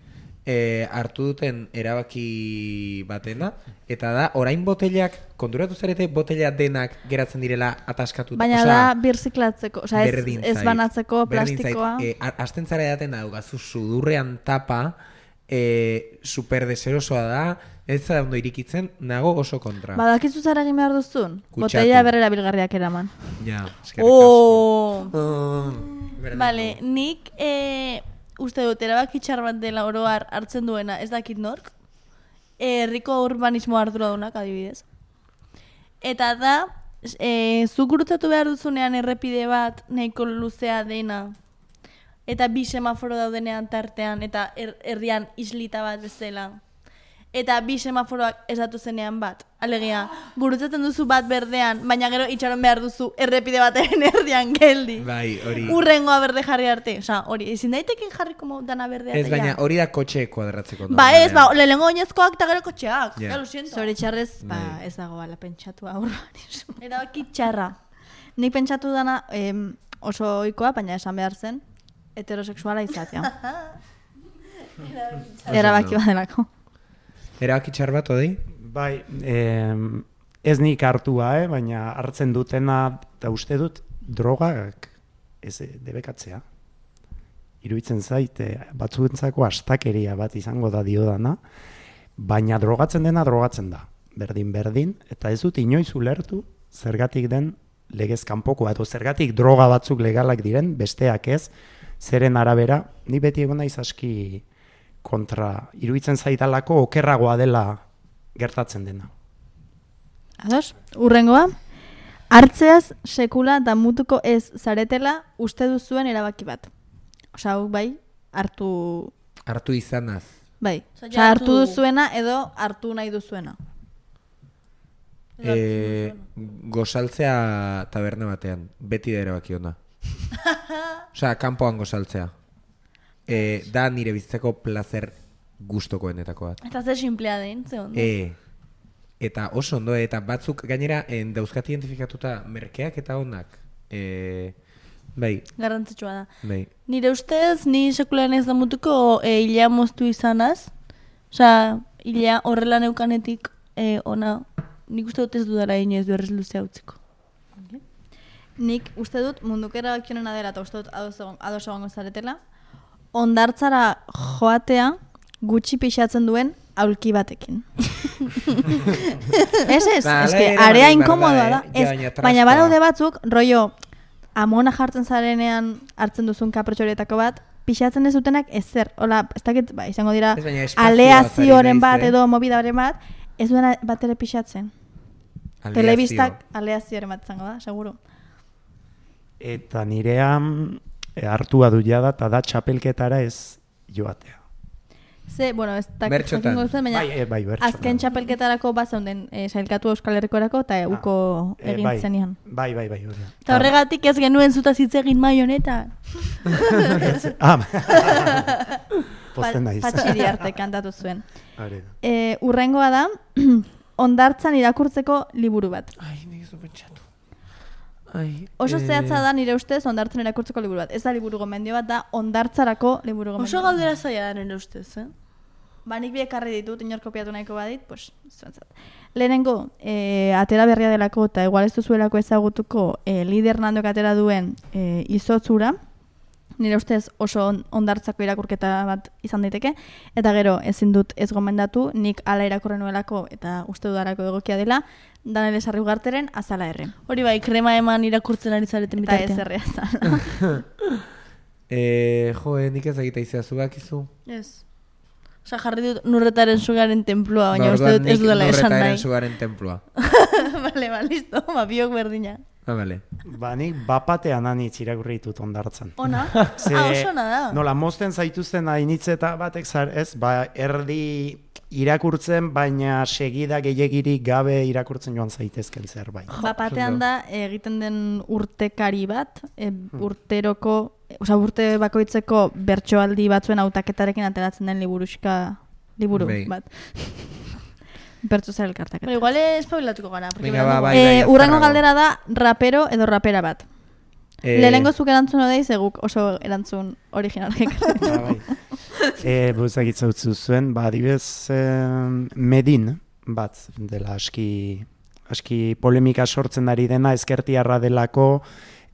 e, hartu duten erabaki batena, eta da, orain botelak, konturatu zarete botella denak geratzen direla ataskatuta. Baina Osea, da birziklatzeko, osea ez, berdin ez zait, banatzeko berdin zait. plastikoa. E, Azten zara edaten da, gazu sudurrean tapa, e, super deserosoa da, ez da ondo irikitzen, nago oso kontra. Badakizu zara egin behar duzun? Kutsatu. Botella berrera bilgarriak eraman. Ja, eskerrik asko. Oh. Uh, Vale, nik e, uste dut erabaki txar bat dela oroar hartzen duena, ez dakit nork, herriko urbanismo arduradunak adibidez. Eta da, e, zuk gurutzatu behar duzunean errepide bat nahiko luzea dena, eta bi semaforo daudenean tartean, eta er, herrian islita bat bezala. Eta bi semaforoak esatu zenean bat. Alegia, gurutzatzen duzu bat berdean, baina gero itxaron behar duzu errepide baten erdian geldi. Bai, hori. Urrengoa berde jarri arte. Osa, hori, ezin daiteken jarri como dana berdea. Ez, baina hori da kotxe kuadratzeko. Ba ez, ba, lehenengo oinezkoak eta gero kotxeak. Ja. Yeah. Lo siento. Zoritxarrez, ba, Bai. ez dago bala pentsatu urbanismo. Erabaki txarra. Nik pentsatu dana em, oso ohikoa, baina esan behar zen, heterosexuala izatea. Erabaki badelako. Erabaki txar bat, odei? Bai, eh, ez nik hartua, eh, baina hartzen dutena, eta uste dut, drogak ez debekatzea. Iruditzen zait, eh, batzuentzako astakeria bat izango da diodana, baina drogatzen dena drogatzen da. Berdin-berdin, eta ez dut inoiz ulertu zergatik den legez kanpokoa, edo zergatik droga batzuk legalak diren, besteak ez, zeren arabera, ni beti egon naiz aski kontra, iruditzen zaidalako okerragoa dela gertatzen dena. Ados, urrengoa, hartzeaz sekula damutuko ez zaretela uste duzuen erabaki bat. Osa, hau bai, hartu... Hartu izanaz. Bai, Osea, osea, hartu hartu- duzuena edo hartu nahi duzuena. E, gozaltzea taberna batean, beti da erabaki ona. Osea, kanpoan gozaltzea. E, da nire bizitzeko placer gustokoenetako bat. Eta ze simplea den, ze ondo. E, eta oso ondo, eta batzuk gainera en, dauzkat identifikatuta merkeak eta onak. E, bai. Garrantzitsua da. Bai. Nire ustez, ni sekulan ez damutuko e, hilea moztu izanaz. Osea, hilea horrela neukanetik e, ona, nik uste dut ez dudara inoiz berrez luzea utziko. Nik uste dut munduko erabakionena dela, eta uste dut ados egongo zaretela, ondartzara joatea gutxi pixatzen duen aulki batekin. Ez ez, Ba, ez hala que ere area bai, inkomodoa berda, da. eh? Ja, Ez, baina baina trastoa. badaude batzuk, rollo, amona jartzen zarenean hartzen duzun kaprotxorietako bat, pixatzen ez dutenak ezer. Hola, ez dakit, ba, izango dira Ez, baina espazioaz aleazioren ari bat naiz, eh? edo mobidaren bat, ez duena bat ere pixatzen. Aleazio. Telebistak aleazioren bat izango da, seguro. Eta nirean e, hartua du jada, eta da txapelketara ez joatea. Ze, bueno, ez dakit Bertxotan. jakingo duzuen, baina Bai, e, bai, bertxotan. azken txapelketarako bat zeunden e, sailkatu Euskal Herrikorako eta uko E, egin bai, zenian. Bai, bai, bai, hori da. Eta horregatik ez genuen zutaz hitz egin mai honetan. Ah, posten naiz. Patxiri arte kantatu zuen. Hori da. E, urrengoa da, ondartzan irakurtzeko liburu bat. Ai, nik ez du pentsatu. Ai, Oso eh, zehatza da nire ustez ondartzan irakurtzeko liburu bat. Ez da liburu gomendio bat, da ondartzarako liburu gomendio Oso bat. galdera zaila da nire ustez, eh? Ba, nik bi ekarri ditut, inor kopiatu nahiko badit, pues, zuentzat. Lehenengo, e, atera berria delako eta igual ez duzuelako ezagutuko e, lider nandok atera duen e, izotzura, nire ustez oso on, ondartzako irakurketa bat izan daiteke, eta gero ezin dut ez gomendatu, nik ala irakurren nuelako eta uste dudarako egokia dela, Danele Sarri Ugarteren Azala Erre. Hori bai, krema eman irakurtzen ari zareten Eta ez bitartean. errea zala. Eh, jo, eh, nik ez egita izea zugakizu. Ez. Osa, jarri dut nurretaren sugaren templua, baina uste dut ez dudala esan nahi. Zugaren templua. Bale, ba, listo, ba, biok berdina. Ah, bale. Ba, nik bapatean anitz irakurri ditut ondartzan. Ona? Ze, Ah, oso ona da. Nola, mozten zaituzten hainitze eta batek zar, ez, ba, erdi irakurtzen, baina segida gehiagirik gabe irakurtzen joan zaitezken zerbait. Bapatean da egiten den urtekari bat, e, urteroko, osea urte bakoitzeko bertsoaldi batzuen hautaketarekin ateratzen den liburuxka liburu Bai. bat. Bertso zer elkartaketa. Pero igual espabilatuko gara. porque Venga, berandu ba, goaz. bai, bai, Eh, urrengo azkarrago. galdera da rapero edo rapera bat. Eh, Lehenengo zuk erantzun odei, zeguk oso erantzun originalak ekarri. Ba, bai. E, Buzak itzautzu zuen, ba, adibez, eh, Medin, bat, dela aski, aski polemika sortzen ari dena, ezkertiarra delako,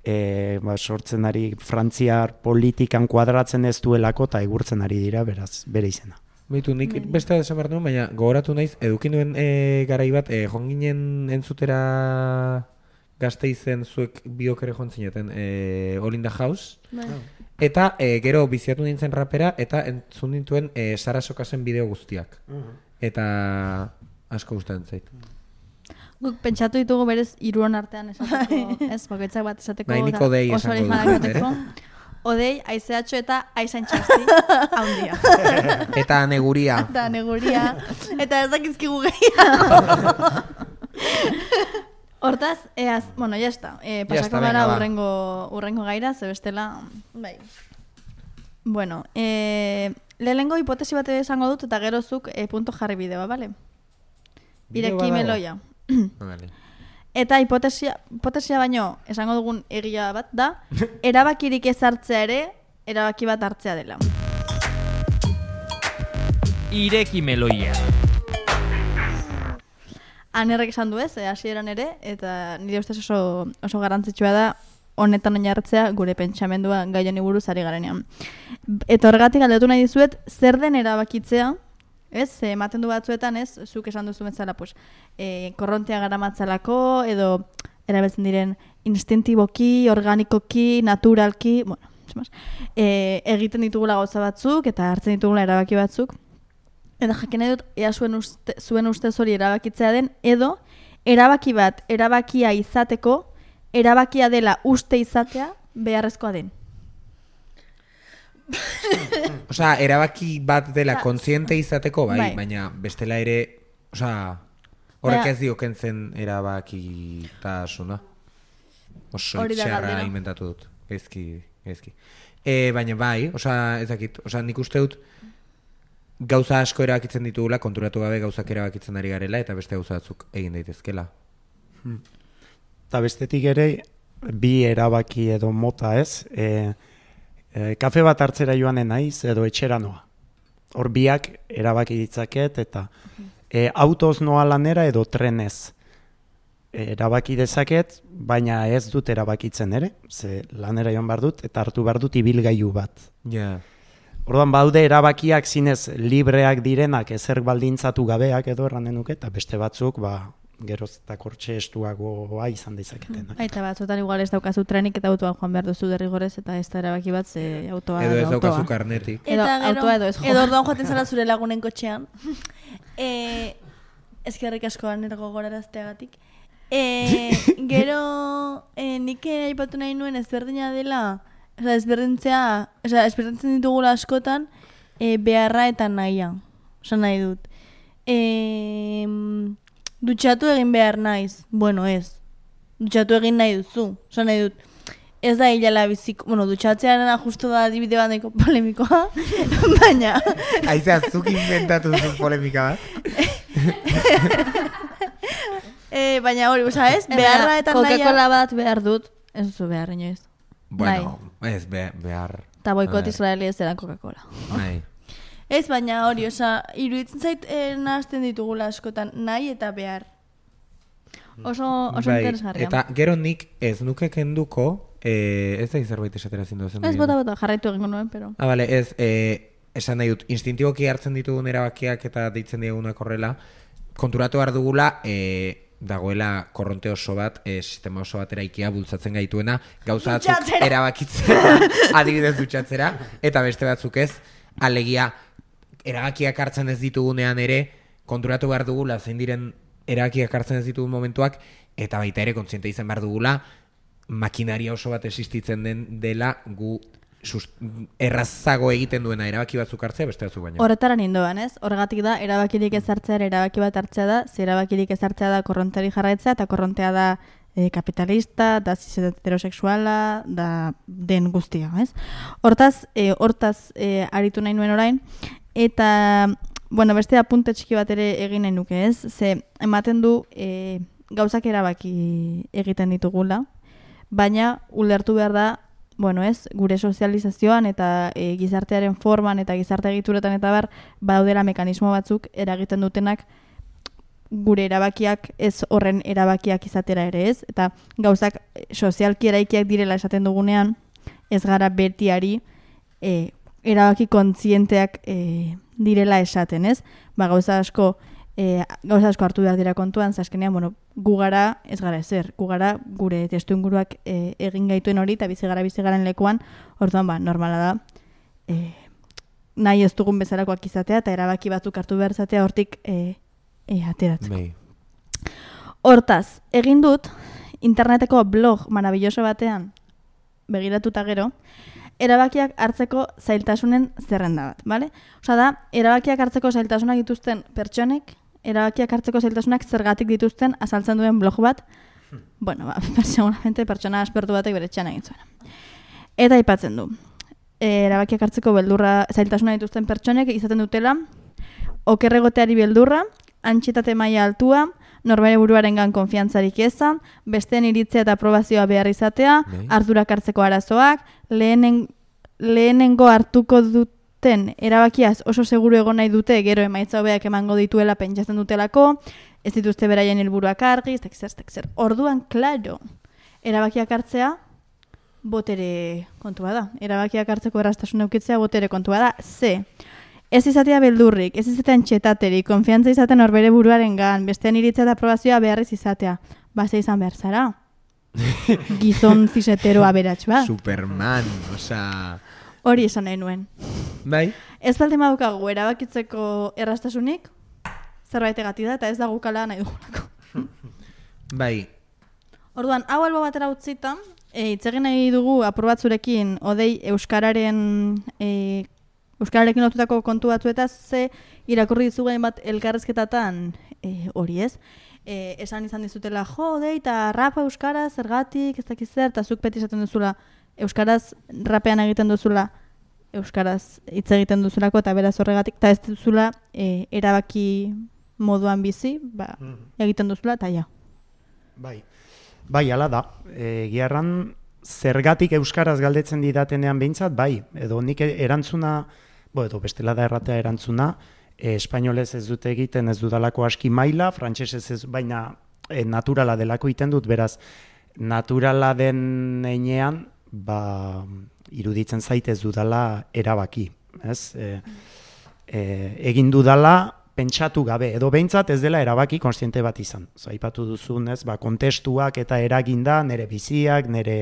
e, ba, sortzen ari frantziar politikan kuadratzen ez duelako, eta egurtzen ari dira, beraz, bere izena. Beitu, nik beste bat esan behar nuen, baina gogoratu naiz, edukin nuen e, garai bat, e, joan ginen entzutera Gasteizen zuek biok ere joan zineten, e, All in the House, Bai. eta e, gero biziatu nintzen rapera, eta entzun nintuen e, Sara Sokasen bideo guztiak. Eta asko gustatzen zait. Guk pentsatu ditugu berez hiruon artean esateko, ez, bakoitzak bat esateko. Bai, nik eta Odei oso esango originalak dut, esateko. Odei, aizeatxo eta aizan txasti, haundia. Eta neguria. Eta neguria. Eta ez dakizkigu gehiago. Hortaz, eaz, bueno, ya está. Eh, pasako está, gara venga, va. urrengo, urrengo gaira, ze bestela... Bai. Bueno, eh, lehenengo hipotesi bat esango dut eta gero zuk eh, punto jarri bideoa, bale? Bideo Ireki badago? meloia. Ah, vale. Eta hipotesia, hipotesia baino esango dugun egia bat da, erabakirik ez hartzea ere, erabaki bat hartzea dela. Ireki meloia. Anerrek esan du ez, eh, hasieran ere, eta nire ustez oso, oso garrantzitsua da honetan oinarritzea gure pentsamendua gai honi buruz ari garenean. Eta horregatik galdetu nahi dizuet, zer den erabakitzea, ez, eh, ematen du batzuetan, ez, zuk esan duzu bezala, pues, eh, korrontea garamatzalako, edo erabiltzen diren instintiboki, organikoki, naturalki, bueno, más, eh, egiten ditugula gauza batzuk, eta hartzen ditugula erabaki batzuk, eta jakin nahi dut, ea zuen, uste, zuen ustez hori erabakitzea den, edo erabaki bat erabakia izateko, erabakia dela uste izatea beharrezkoa den. Osea, erabaki bat dela Osea, kontziente izateko, bai, bai. baina bestela ere, osea, Horrek ez dioken zen erabakitasuna. Oso Hori da itxarra galdera. inventatu dut. Gaizki, gaizki. E, baina bai, osea, ez dakit, osea, nik uste dut gauza asko erabakitzen ditugula, konturatu gabe gauzak erabakitzen ari garela, eta beste gauza batzuk egin daitezkela. Eta bestetik ere, bi erabaki edo mota ez, e, e, kafe bat hartzera joanen naiz edo etxera noa. Hor biak erabaki ditzaket eta e, autoz noa lanera edo trenez. E, erabaki dezaket, baina ez dut erabakitzen ere, ze lanera joan behar dut eta hartu behar dut ibilgailu bat. Ja. Orduan baude erabakiak zinez libreak direnak ezer baldintzatu gabeak edo erranen nuke, eta beste batzuk ba, geroz eta kortxe estuagoa izan dezaketenak. Aita batzutan igual ez daukazu trenik eta autoan joan behar duzu derrigorez eta ez da erabaki bat ze autoa Edo ez autoa. daukazu karnetik. Edo Eta gero, autoa edo ez jo. edo orduan joaten zara zure lagunen kotxean. e, Ezkerrik asko anergo gorarazteagatik. E, gero, e, nik ere aipatu nahi nuen ezberdina dela, oza, ezberdintzea, oza, ezberdintzen ditugula askotan, e, beharra eta nahia. Osa nahi dut. E, dutxatu egin behar naiz. Bueno, ez. Dutxatu egin nahi duzu. Osa nahi dut. Ez da hilala biziko, bueno, dutxatzearen justu da adibide bat nahiko polemikoa, baina... Aizea, zuk inventatu zuen polemika bat? e, baina hori, oza, ez? Beharra eta nahia... Coca-Cola bat behar dut, ez duzu behar inoiz. Bueno, ez be, behar. Eta boikot A ver. israeli ez eran Coca-Cola. Bai. Ez, baina hori, oza, iruditzen zait eh, nahazten ditugula askotan, nahi eta behar. Oso, oso Bai, interesgarria. eta gero nik ez nuke kenduko, eh, ez da zerbait esatera zindu zen. Ez bota bota, jarraitu egingo nuen, pero... Ah, bale, ez, eh, esan nahi dut, instintiboki hartzen ditugun erabakiak eta deitzen diegunak horrela, konturatu behar dugula, eh, dagoela korronte oso bat, eh, sistema oso bat eraikia bultzatzen gaituena, gauza batzuk Dutxatzera. erabakitzera, adibidez dutxatzera, eta beste batzuk ez, alegia, erabakiak hartzen ez ditugunean ere, konturatu behar dugula, zein diren erabakiak hartzen ez ditugun momentuak, eta baita ere kontziente izan behar dugula, makinaria oso bat existitzen den dela gu sust, errazago egiten duena erabaki batzuk hartzea beste batzuk baino. Horretara nindoan, ez? Horregatik da, erabakirik ez hartzea erabaki bat hartzea da, ze erabakirik ez hartzea da korrontari jarraitzea, eta korrontea da e, kapitalista, da cis heterosexuala, da den guztia, ez? Hortaz, e, hortaz e, aritu nahi nuen orain, eta, bueno, beste apunte txiki bat ere egin nahi nuke, ez? Ze, ematen du e, gauzak erabaki egiten ditugula, baina ulertu behar da, bueno, ez, gure sozializazioan eta e, gizartearen forman eta gizarte egituretan eta bar, badaudela mekanismo batzuk eragiten dutenak gure erabakiak ez horren erabakiak izatera ere, ez? Eta gauzak sozialki eraikiak direla esaten dugunean, ez gara betiari e, erabaki kontzienteak e, direla esaten, ez? Ba, gauza asko E, gauza asko hartu behar dira kontuan, zaskenean, bueno, gu gara ez gara ezer, gu gara gure testu inguruak e, egin gaituen hori eta bizi gara bizi garen lekuan, orduan ba, normala da e, nahi ez dugun bezalakoak izatea eta erabaki batzuk hartu behar izatea hortik e, e, ateratzeko. Bai. Hortaz, egin dut interneteko blog marabilloso batean begiratuta gero, erabakiak hartzeko zailtasunen zerrenda bat, bale? Osa da, erabakiak hartzeko zailtasunak dituzten pertsonek, erabakiak hartzeko zailtasunak zergatik dituzten azaltzen duen blog bat, bueno, ba, seguramente pertsona aspertu batek bere txana egin zuen. Eta aipatzen du, erabakiak hartzeko beldurra zailtasuna dituzten pertsonek izaten dutela, okerregoteari beldurra, antxietate maila altua, norbere buruarengan konfiantzarik eza, besteen iritzea eta aprobazioa behar izatea, Bai. ardurak hartzeko arazoak, lehenen, lehenengo hartuko duten erabakiaz oso seguru egon nahi dute, gero emaitza hobeak emango dituela pentsatzen dutelako, ez dituzte beraien helburuak argi, ez dakit zer, ez dakit zer. Orduan, klaro, erabakiak hartzea, botere kontua da. Erabakiak hartzeko erraztasun eukitzea botere kontua da. Ze, ez izatea beldurrik, ez izatea antxetaterik, konfiantza izaten horbere buruarengan, bestean iritzea eta aprobazioa beharriz izatea. Base izan behar zara. Gizon zisetero aberats ba. Superman, osea... Hori esan nahi nuen. Bai? Ez baldin badukagu erabakitzeko erraztasunik, zerbait egati da, eta ez da gukala nahi dugulako. Bai. Orduan, hau albo batera utzita, e, hitz egin nahi dugu aprobatzurekin odei euskararen e, euskararekin lotutako kontu batzuetaz ze irakurri dizugain bat elkarrezketatan e, hori ez. e, esan izan dizutela, jo, dei, eta rapa euskaraz, zergatik, ez dakiz zer, eta zuk beti esaten duzula, euskaraz rapean egiten duzula, euskaraz hitz egiten duzulako, eta beraz horregatik, eta ez duzula e, erabaki moduan bizi, ba, egiten duzula, eta ja. Bai, bai, ala da. E, giarran, zergatik euskaraz galdetzen didatenean behintzat, bai, edo nik erantzuna, bo, edo bestela da erratea erantzuna, e, espainolez ez dute egiten, ez dudalako aski maila, frantsesez ez, baina e, naturala delako egiten dut, beraz, naturala den heinean, ba, iruditzen zait ez dudala erabaki, ez? E, e, egin dudala, pentsatu gabe, edo behintzat ez dela erabaki kontziente bat izan. Zaipatu duzun, ez, ba, kontestuak eta eraginda, nire biziak, nire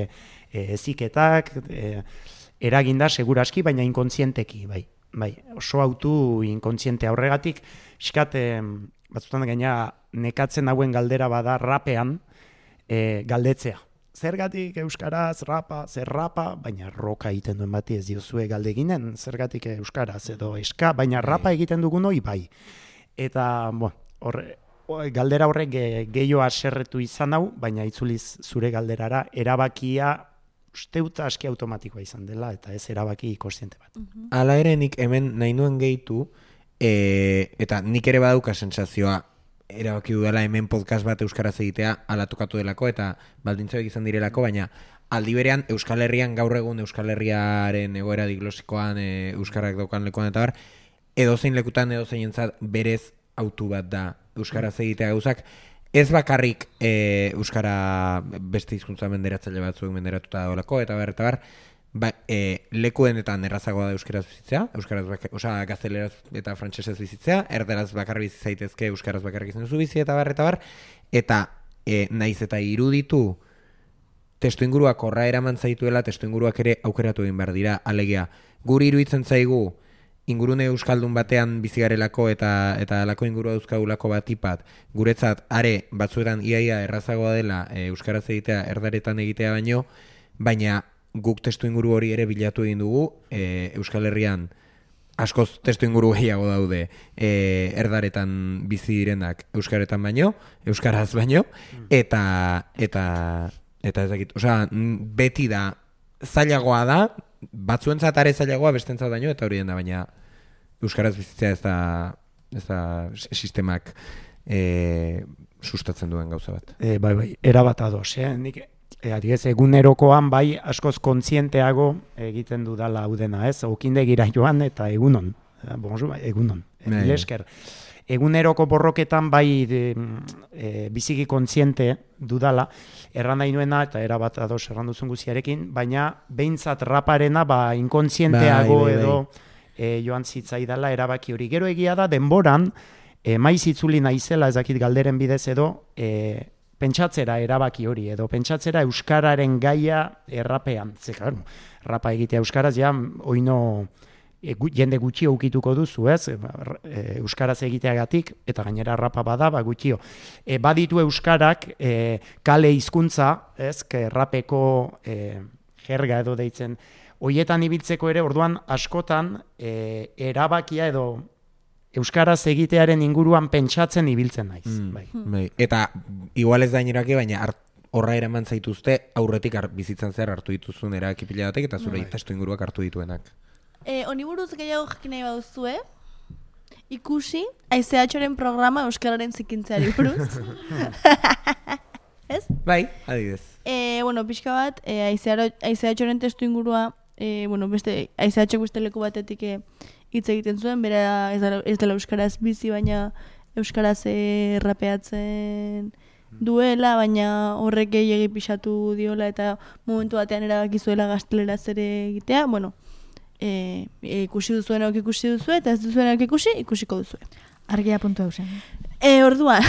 e, eziketak, e, eraginda seguraski, baina inkontzienteki, bai. Bai, oso autu inkontziente aurregatik, pixkat, e, batzutan gaina nekatzen hauen galdera bada rapean e, galdetzea. Zergatik euskaraz, rapa, zer rapa, baina roka egiten duen bati ez diozue galdeginen, zergatik euskaraz edo eska, baina rapa egiten dugun hori bai. Eta, bo, horre, galdera horrek gehiago aserretu izan hau, baina itzuliz zure galderara, erabakia usteuta aski automatikoa izan dela, eta ez erabaki kontziente bat. Hala ere nik hemen nahi nuen gehitu, e, eta nik ere badauka sentsazioa, erabaki dudala hemen podcast bat euskaraz egitea ala tokatu delako eta baldintzoek izan direlako, baina aldi berean Euskal Herrian gaur egun Euskal Herriaren egoera diglosikoan e, euskarak daukan lekuan eta bar, edozein lekutan edozeinentzat berez autu bat da euskaraz egitea gauzak, ez bakarrik e, euskara beste hizkuntza menderatzaile batzuk menderatuta dagoelako eta bar, eta bar, ba, e, lekuenetan errazagoa da euskaraz bizitzea, euskaraz bakar, oza, gazteleraz eta frantsesez bizitzea, erderaz bakar bizi zaitezke euskaraz bakarrik izan duzu bizi eta bar, eta bar, eta e, naiz eta iruditu testu inguruak horra eraman zaituela, testu inguruak ere aukeratu egin behar dira, alegia, guri iruditzen zaigu ingurune euskaldun batean bizigarelako eta eta alako ingurua dauzkagulako batipat, guretzat are batzuetan iaia errazagoa dela e, euskaraz egitea erdaretan egitea baino, baina guk testu inguru hori ere bilatu egin dugu, e, Euskal Herrian askoz testu inguru gehiago daude e, erdaretan bizi direnak euskaretan baino, euskaraz baino, eta eta eta ez dakit, osea, beti da zailagoa da, batzuentzat are zailagoa bestentzat baino, eta hori den da, baina euskaraz bizitzea ez da, ez da sistemak e, sustatzen duen gauza bat. E, bai, bai, erabat ados, eh? Nik E, adibidez, egunerokoan bai askoz kontzienteago egiten dudala hau dena, ez? Okindegira joan eta egunon. Bonjour, egunon. Mil esker. Eguneroko borroketan bai de, e, biziki kontziente dudala, erran nahi nuena eta erabat ados erran duzun guziarekin, baina behintzat raparena ba inkontzienteago bai, bai, bai. edo e, joan zitzaidala erabaki hori. Gero egia da denboran, e, maiz itzuli naizela ezakit galderen bidez edo, e, pentsatzera erabaki hori, edo pentsatzera euskararen gaia errapean. Ze, claro, rapa egitea euskaraz, ja, oino e, gu, jende gutxi ukituko duzu, ez? E, euskaraz egiteagatik, eta gainera rapa bada, ba, gutxio. E, baditu euskarak e, kale hizkuntza, ez? Que rapeko e, jerga edo deitzen. Hoietan ibiltzeko ere, orduan askotan e, erabakia edo euskaraz egitearen inguruan pentsatzen ibiltzen naiz. Mm, bai. Bai. Eta igual ez da inerake, baina horra eraman zaituzte aurretik ar, bizitzan zer hartu dituzun erabaki pila batek eta zure bai. Testu inguruak hartu dituenak. E, Honi buruz gehiago jakin nahi baduzue, ikusi Aizeatxoren programa euskararen zikintzeari buruz. Ez? Bai, adibidez. E, bueno, pixka bat, e, Aizeatxoren testu ingurua, e, bueno, beste Aizeatxok beste leku batetik e, hitz egiten zuen, bera ez dela, ez dela euskaraz bizi, baina euskaraz errapeatzen duela, baina horrek gehiegi pixatu diola eta momentu batean erabakizuela gazteleraz ere egitea. Bueno, e, e, ikusi duzuenak ikusi duzu eta ez duzuenak ikusi, ikusiko duzu. Argia puntu hausen. E, orduan,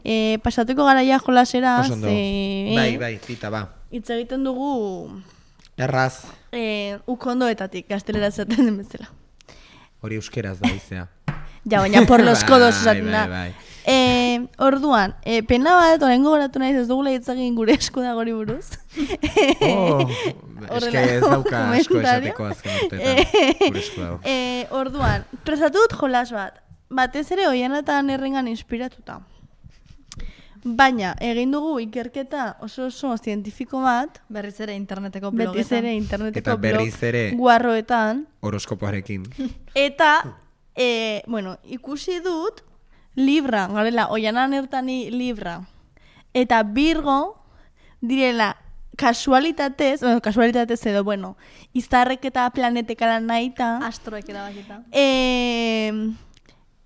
e, pasatuko garaia jolasera, ze... E, bai, bai, tita, ba. Hitz egiten dugu... Erraz. E, ukondoetatik, gazteleraz zaten den bezala. Hori euskeraz da izea. Ja, baina por los kodos esaten da. Bai, bai, bai. E, orduan, e, pena bat, orengo goratu naiz ez dugula hitzagin gure esku da gori buruz. Oh, eske ez dauka asko esateko azken urteetan. Gure esku dago. E, orduan, presatu dut jolas bat. Batez ere oianatan errengan inspiratuta. Baina, egin dugu ikerketa oso oso zientifiko bat, Berriz ere interneteko blogetan. betiz ere interneteko Eta berriz blog ere guarroetan, horoskopoarekin. eta, e, bueno, ikusi dut, Libra, garela, oianan ertani Libra, eta Virgo direla kasualitatez, bueno, kasualitatez edo, bueno, izarrek eta planetekara nahita, Astroek erabakita. e,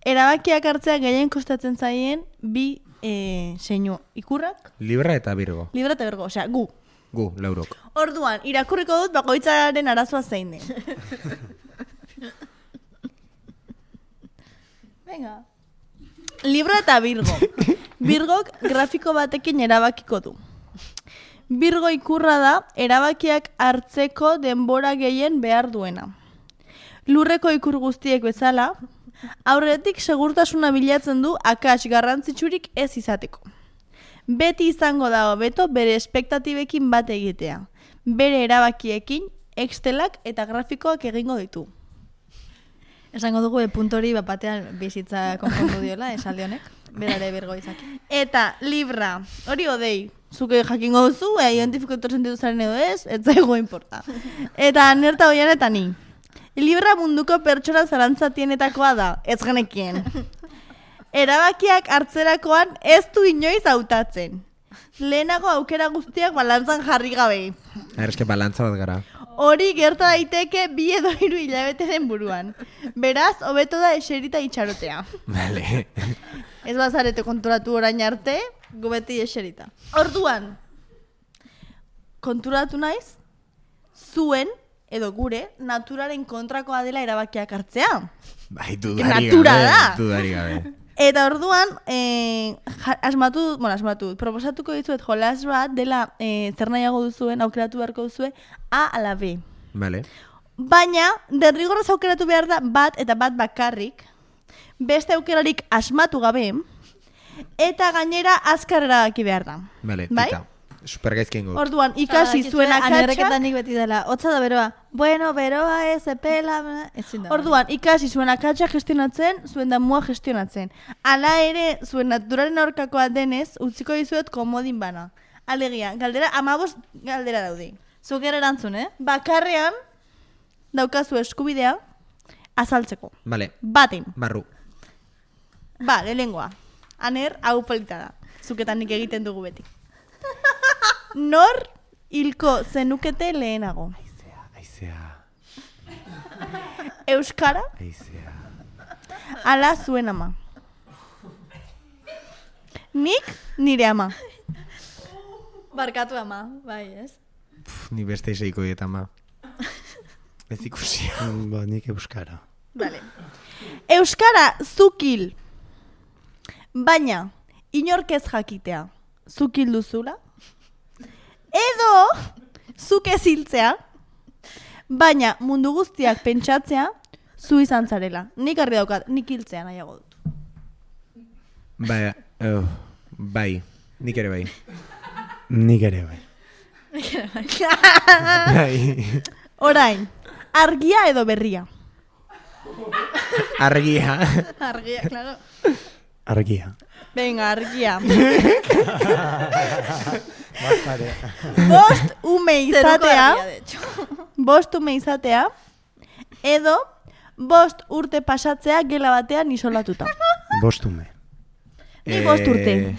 erabakiak hartzea gehien kostatzen zaien bi e, seinu. Ikurrak, Libra eta Virgo. Libra eta Virgo, osea, gu. Gu, laurok. Orduan, irakurriko dut bakoitzaren arazoa zein den. Venga. Libra eta Virgo. Virgok grafiko batekin erabakiko du. Virgo ikurra da erabakiak hartzeko denbora gehien behar duena. Lurreko ikur guztiek bezala, aurretik segurtasuna bilatzen du akats garrantzitsurik ez izateko. Beti izango da hobeto bere espektatibekin bat egitea. Bere erabakiekin, excelak eta grafikoak egingo ditu. Esango dugu e, puntori bat batean bizitza konpondu diola, esaldi honek. Berare Virgo izaki. Eta Libra, hori odei, zuke jakingo duzu, ea identifikator sentitu zaren edo ez, ez zaigu importa. Eta nerta hoian eta ni. Libra munduko pertsona zarantzatienetakoa da, ez genekien. Erabakiak hartzerakoan ez du inoiz hautatzen. Lehenago aukera guztiak balantzan jarri gabe. Ara, eske balantza bat gara. Hori gerta daiteke bi edo hiru hilabeteren buruan. Beraz, hobeto da eserita itxarotea. Vale. Ez bazarete konturatu orain arte, gu beti eserita. Orduan, konturatu naiz, zuen, edo gure, naturaren kontrakoa dela erabakiak hartzea. Bai, dudari Natura gabe. da. Dudari gabe. Eta orduan, eh, ja- asmatu, bueno, asmatu, proposatuko dizuet jolas bat dela eh, zer nahiago duzuen, aukeratu beharko duzue, A ala B. Vale. Baina, derrigorrez aukeratu behar da bat eta bat bakarrik, beste aukerarik asmatu gabe, eta gainera azkar erabaki behar da. Vale, Bai? tita. Supergaizkien gu. Orduan, ikasi zuen akatsak, Anerreketan nik beti dela, hotza da beroa. Bueno, beroa ez, epela, ezin da. orduan, ikasi zuen akatsak gestionatzen, zuen damua gestionatzen. Hala ere, zuen naturaren aurkakoa denez, utziko dizuet komodin bana. Alegia, galdera, amabos galdera daude. Zuk ere erantzun, eh? Bakarrean, daukazu eskubidea, azaltzeko. Vale. Baten. Barru. Ba, lehengoa. Aner, hau polita da. Zuketan nik egiten dugu beti. Nor hilko zenukete lehenago. Aizea. Euskara, Aizea. ala zuen ama. Nik nire ama. Barkatu ama, bai, ez? Pff, ni beste iseiko diet ama. Ez ikusi. Ba, nik euskara. Vale. Euskara zukil. Baina, inork ez jakitea. Zukil duzula. Edo, zuk ez hiltzea. Baina, mundu guztiak pentsatzea, zu izan zarela. Nik argi daukat, nik hiltzea nahiago dut. Bai, oh, bai. Nik ere bai. Nik ere bai. Bai. Orain, argia edo berria. Argia. Argia, claro. Argia. Venga, argia. Bost ume izatea, Argia, de hecho. bost ume izatea, edo bost urte pasatzea gela batean isolatuta. Bostume. Ni bost urte. Eh,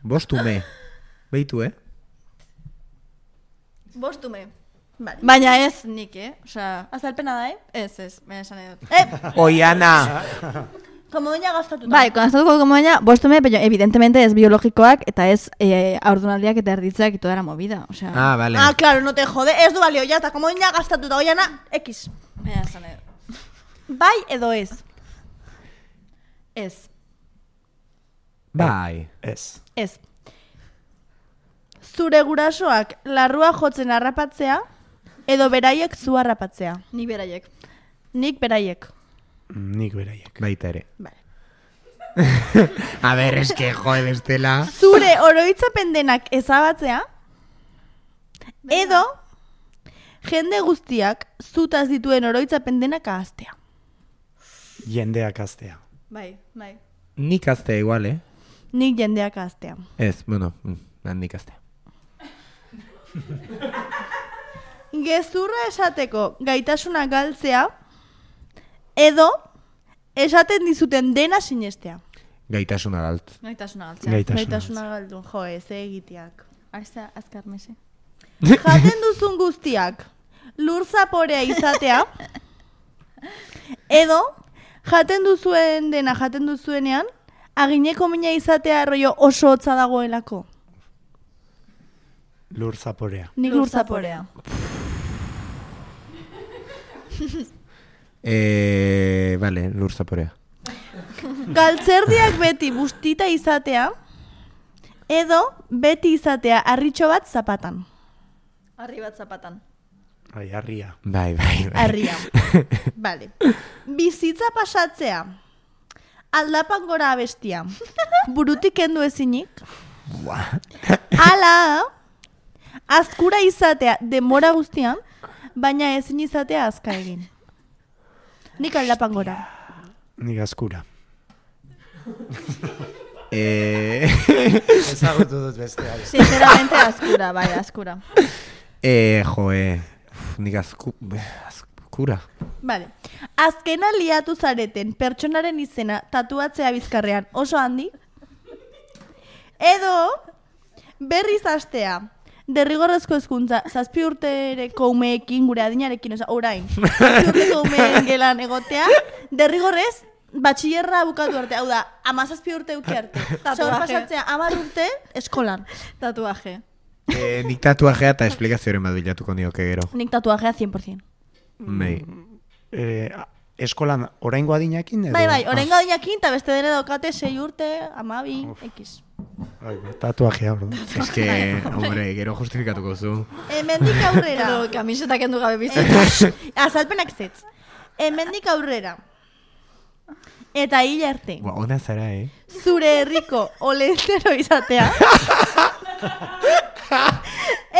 Bostume. Beitu, eh? Bost ume. Vale. Baina ez nik, eh? Osea, Azalpena da, eh? ez, ez, baina esan edo. Eh, Oiana! como doña gastatuta. Bai, konastatuko como baina, bostume, pero evidentemente ez biologikoak eta ez eh, aurdunaldiak eta erditzeak y toda la movida. Osea, Ah, vale. Ah, claro, no te jode. Ez du balio, ya está. Como doña gastatuta, oiana, X. baina esan edo. Bai edo ez. Ez. Bai. Ez. Ez. Zure gurasoak larrua jotzen harrapatzea, edo beraiek zu harrapatzea. Ni beraiek. Nik beraiek. Nik beraiek. Baita ere. Vale. A ber, eske, joe, bestela. Zure oroitzapen denak ezabatzea, edo jende guztiak zutaz dituen oroitzapen denak ahaztea. Jendeak aztea. Bai, bai. Nik aztea igual, eh? Nik jendeak aztea. Ez, bueno, mm, nik aztea. Gezurra esateko gaitasuna galtzea, edo esaten dizuten dena sinestea. Gaitasuna galt. Gaitasuna galtzea. Gaitasuna. Gaitasuna galdu, jo, ez egiteak. Aizta, azkar mese. Jaten duzun guztiak lur zaporea izatea, edo jaten duzuen dena jaten duzuenean, agineko mina izatea rollo oso hotza dagoelako. Lur zaporea. Nik lur zaporea. Eh, vale, lur zaporea. Galtzerdiak beti bustita izatea, edo beti izatea harritxo bat zapatan. Arri bat zapatan. Ai, harria. Bai, bai, bai. Harria. Vale. Bizitza pasatzea. Aldapan gora abestia. Burutik kendu ezinik. Ala, azkura izatea denbora guztian, baina ezin izatea azka egin. Nik aldapan gora. Nik azkura. Eh, Ezagutu dut beste. Sinceramente azkura, bai, azkura. eh, joe. Uf, nik azku, azkura. Vale. Azkena liatu zareten pertsonaren izena tatuatzea bizkarrean oso handi. Edo berriz hastea. Derrigorrezko hezkuntza zazpi urtereko umeekin gure adinarekin, oza, orain. Zazpi urteko umeen gelan egotea, derrigorrez batxillerra bukatu arte, hau da, amazazpi urte uki arte. Zor pasatzea, amar urte eskolan. Tatuaje. Eh, nik tatuajea eta esplikazioaren bat bilatuko nioke gero. Nik tatuajea cien por cien. Mei. Eh, eskolan oraingo adinakin edo? Bai, bai, oraingo adinakin, eta beste dene daukate sei urte, amabi, ekiz. Ai, tatuajea, ordu. Ez que, hombre, gero justifikatuko zu. Hemendik aurrera. Edo kamiseta kendu gabe bizitza. Azalpenak zetz. Hemendik aurrera. Eta hil arte. Ba, ona zara, eh? Zure herriko olentero izatea.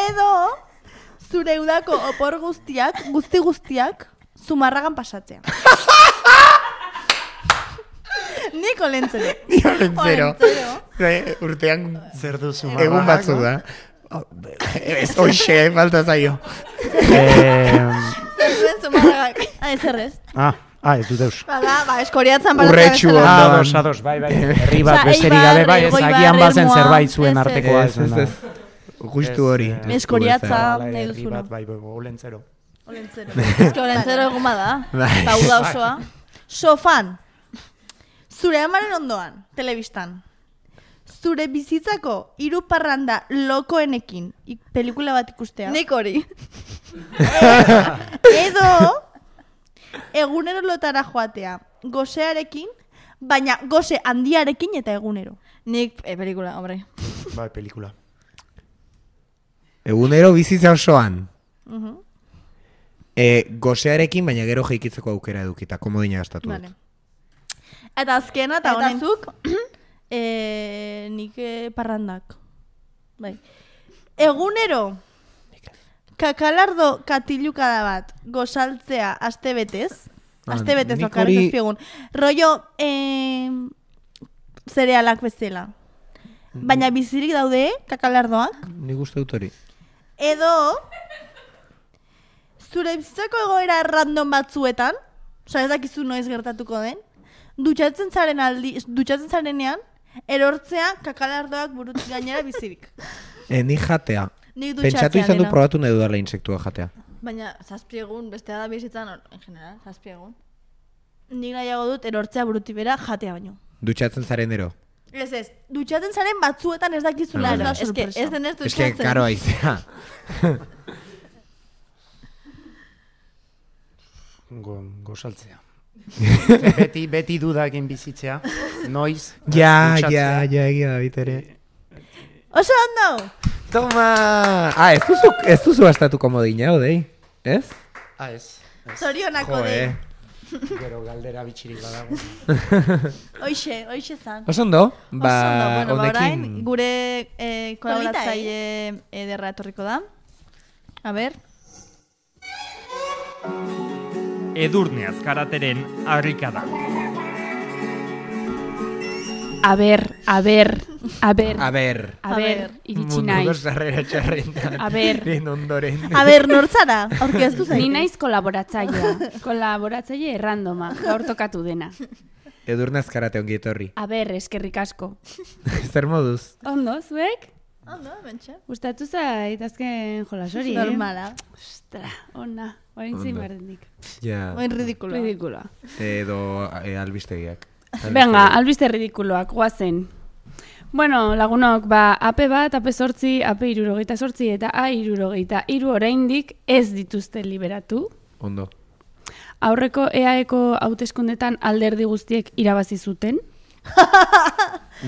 Edo zure udako opor guztiak, guzti guztiak, zumarragan pasatzea. Nik olentzero. Ni olentzero. Olentzero. Urtean Zer duzu egun batzu da. Ez hoxe, falta zaio. Eh, Zuen zumarragak. Ah, ez errez. ah, ah, ez dut eus. Bada, ba, eskoriatzen Urretxu bezala. ondoan. Ah, ados, ados, bai, bai. Herri bat Osea, besterik Eibar, gabe, bai, ez Elgoibar, agian bazen Ermua, zerbait zuen ez, artekoa. Ez, ez, ez. Justu hori. Ez, ez. Eskoriatza Hala, nahi herri duzuna. bat, bai, bai, olentzero. Olentzero. Eske olentzero egun bada. Bai. Eta uda osoa. Sofan. Zure amaren ondoan, telebistan. Zure bizitzako hiru parranda lokoenekin ik- pelikula bat ikustea. Nik hori. Edo egunero lotara joatea. Gosearekin, baina gose handiarekin eta egunero. Nik, eh, pelikula, hombre. Bai, pelikula. Egunero bizitza osoan. Uh-huh. E, gosearekin, baina gero jeikitzeko aukera edukita, komodina gastatu dut. Vale. Eta azkena, eta Eta honezuk, e, nik e, parrandak. Bai. Egunero, kakalardo katilukada bat gozaltzea aste betez. Ah, Aste betez nik bakarrik hori- azpiegun. Rollo, e, zerealak bezala. Baina bizirik daude, kakalardoak. Nik uste dut hori. Edo, zure bizitzako egoera random batzuetan, oza ez dakizu noiz gertatuko den, dutxatzen zaren aldi, dutxatzen zarenean, erortzea kakalardoak burutik gainera bizirik. E, nik jatea. Nik Pentsatu izan dut dutxatzearena. probatu nahi dudala insektua jatea. Baina, zazpi egun, bestea da bizitzan, en general, zazpi egun. Nik nahiago dut erortzea burutik bera jatea baino. Dutxatzen zaren ero. Ez ez, dutxatzen zaren batzuetan ez dakizula, ez da Ez que, sorpresa. ez denez Ez que, dutxatzen. karo aizea. Go, gozaltzea. beti, beti dudakin bizitzea. Noiz. Ja, dutxatzea. ja, ja, egia da bitere. Oso ondo! Toma! Ah, ez duzu, ez duzu astatu komodina, odei? Ez? Ah, ez. ez. Zorionako Jo, de. eh. Gero galdera bitxirik badago. Hoixe, hoixe zan. Oso ondo? Ba, Oso ondo, bueno, ba, orain, honekin... gure eh, kolaboratzaile Polita, ederra etorriko da. A ber. Edurne azkarateren harrikada. A ber, a ber, a ber, A ber. a ber, iritsi naiz. Munduko sarrera txarrentan. A ber. Lehen ondoren. A ber, nortzara, aurkeztu zaitez. Ni naiz kolaboratzailea, kolaboratzaile errandoma, gaur tokatu dena. Edurnaz karate ongi etorri. A ber, eskerrik asko. Zer moduz? Ondo, zuek? Ondo, bentsa. Gustatu zait azken jolasori, eh? Normala. Ostra, ona, orain zein Ondo. bardendik. Ja. Oin ridikuloa. Ridikuloa. Edo e, albistegiak. Venga, albiste ridikuloak, guazen. Bueno, lagunok, ba, ape bat, ape sortzi, ape irurogeita sortzi eta a irurogeita iru oraindik ez dituzte liberatu. Ondo. Aurreko E A Eko hauteskundetan alderdi guztiek irabazi zuten.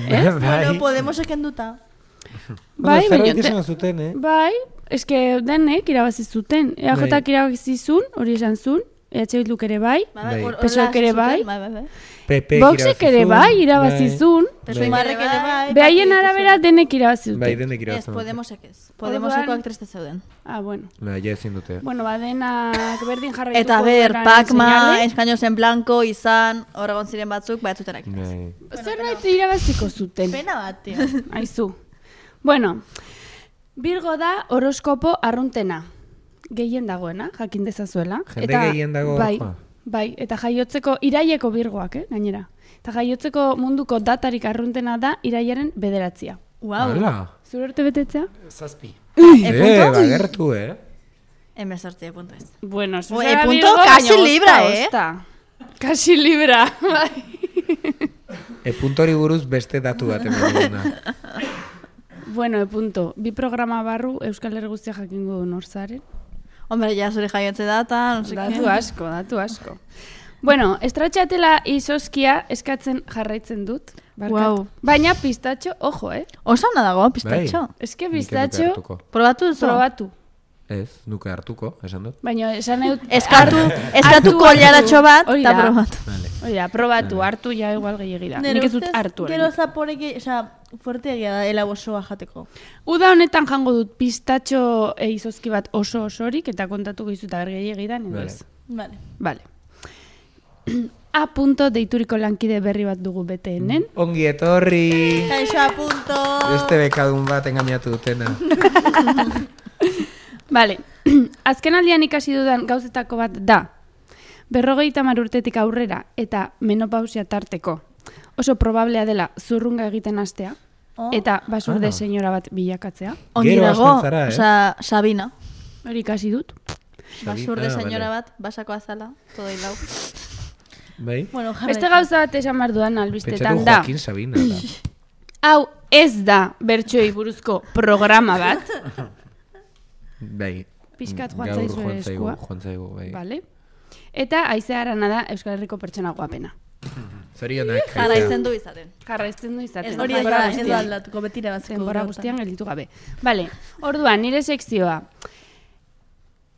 Ez? Bueno, Podemos ekenduta. Bai, Zer baina hori te- esan zuten, eh? Bai, eske denek irabazi zuten. E A Jak irabazi zuen, hori esan zuen, E H Bilduk ere bai, Bai. hor- P S O E horrela ere bai. zuten, Bai, bai, bai. P P Voxek ere bai irabazi zuen. Sumarrek ere bai. Behaien arabera denek irabazi Bai, dute. denek Ez, irabazten. Podemosek ez. Podemosekoak triste zeuden. Ah, bueno. Ba, ja ezin dute. Bueno, ba, denak berdin jarraituko Eta ber, duenaren Pacma, seinale. Eskaños en Blanco, izan, horregon ziren batzuk, ba, ez zutenak. Bai. Zerbait irabaziko zuten. Pena bat, tio. Aizu. Bueno, Virgo da horoskopo arruntena. Gehien dagoena, jakin dezazuela. Jende gehien dago bai, horokoa. bai, eta jaiotzeko iraieko Virgoak, eh, gainera. Eta jaiotzeko munduko datarik arruntena da iraiaren bederatzia. Uau. Hala. Zure urte betetzea? Zazpi. Eh, bagertu, eh? Hemezortzi, punto ez. Bueno, zu Ue, zara punto Virgo, kasi baina libra, ozta, eh? ozta. Kasi libra, bai. E puntori buruz beste datu bat eman duguna. Bueno, e punto. Bi programa barru Euskal Herri guztia jakingo du norzaren. Hombre, ja zure jaiotze data, no sé Datu qué. asko, datu asko. Bueno, estratxatela izoskia eskatzen jarraitzen dut. Barkatu. Wow. Baina pistatxo, ojo, eh? Oso ona dago, pistatxo. Eske Nik ez nuke pistatxo, hartuko. Probatu duzu? probatu. Ez, nuke hartuko, esan dut. Baina esan dut... Eskatu, eskatu hartu, kolaratxo bat, hori eta da. probatu. Vale. Hori da, probatu, hartu ja igual gehiagi da. Nik ez dut hartu. Gero oraindik. zaporek, oza, fuerte egia da, ela osoa jateko. Uda honetan jango dut pistatxo e, izozki bat oso osorik, eta kontatuko izu eta bergehiagi da, edo Vale. ez. Vale. Vale. A punto deituriko lankide berri bat dugu beteenen. Ongi etorri! Kaixo a punto! Beste bekadun bat engainatu dutena. Vale, azken aldian ikasi dudan gauzetako bat da, berrogeita hamar urtetik aurrera eta menopausia tarteko oso probablea dela zurrunga egiten hastea, Oh. eta basurde Ah. senyora bat bilakatzea. Ongi Gero dago, hasten zara, eh? oza, Sabina. Hori ikasi dut. Basurde Ah, señora vale. bat, basako azala, todo hilau. Bai? Bueno, jarraitu. Beste gauza bat esan behar dudan Pentsatu albistetan da. Joaquin Sabina da. Hau ez da bertsoei buruzko programa bat. Bai. Pixkat joan Gaur zaizu joan zaigu, eskua. joan zaigu, bai. Vale. Eta Aizea Arana da Euskal Herriko pertsona guapena. Zorionak. Jarraitzen du izaten. Jarraitzen du izaten. Ez hori ez denbora da, ez guztian. da aldatuko, betira batziko. Denbora guztian gelditu gabe. Vale, orduan, nire sekzioa.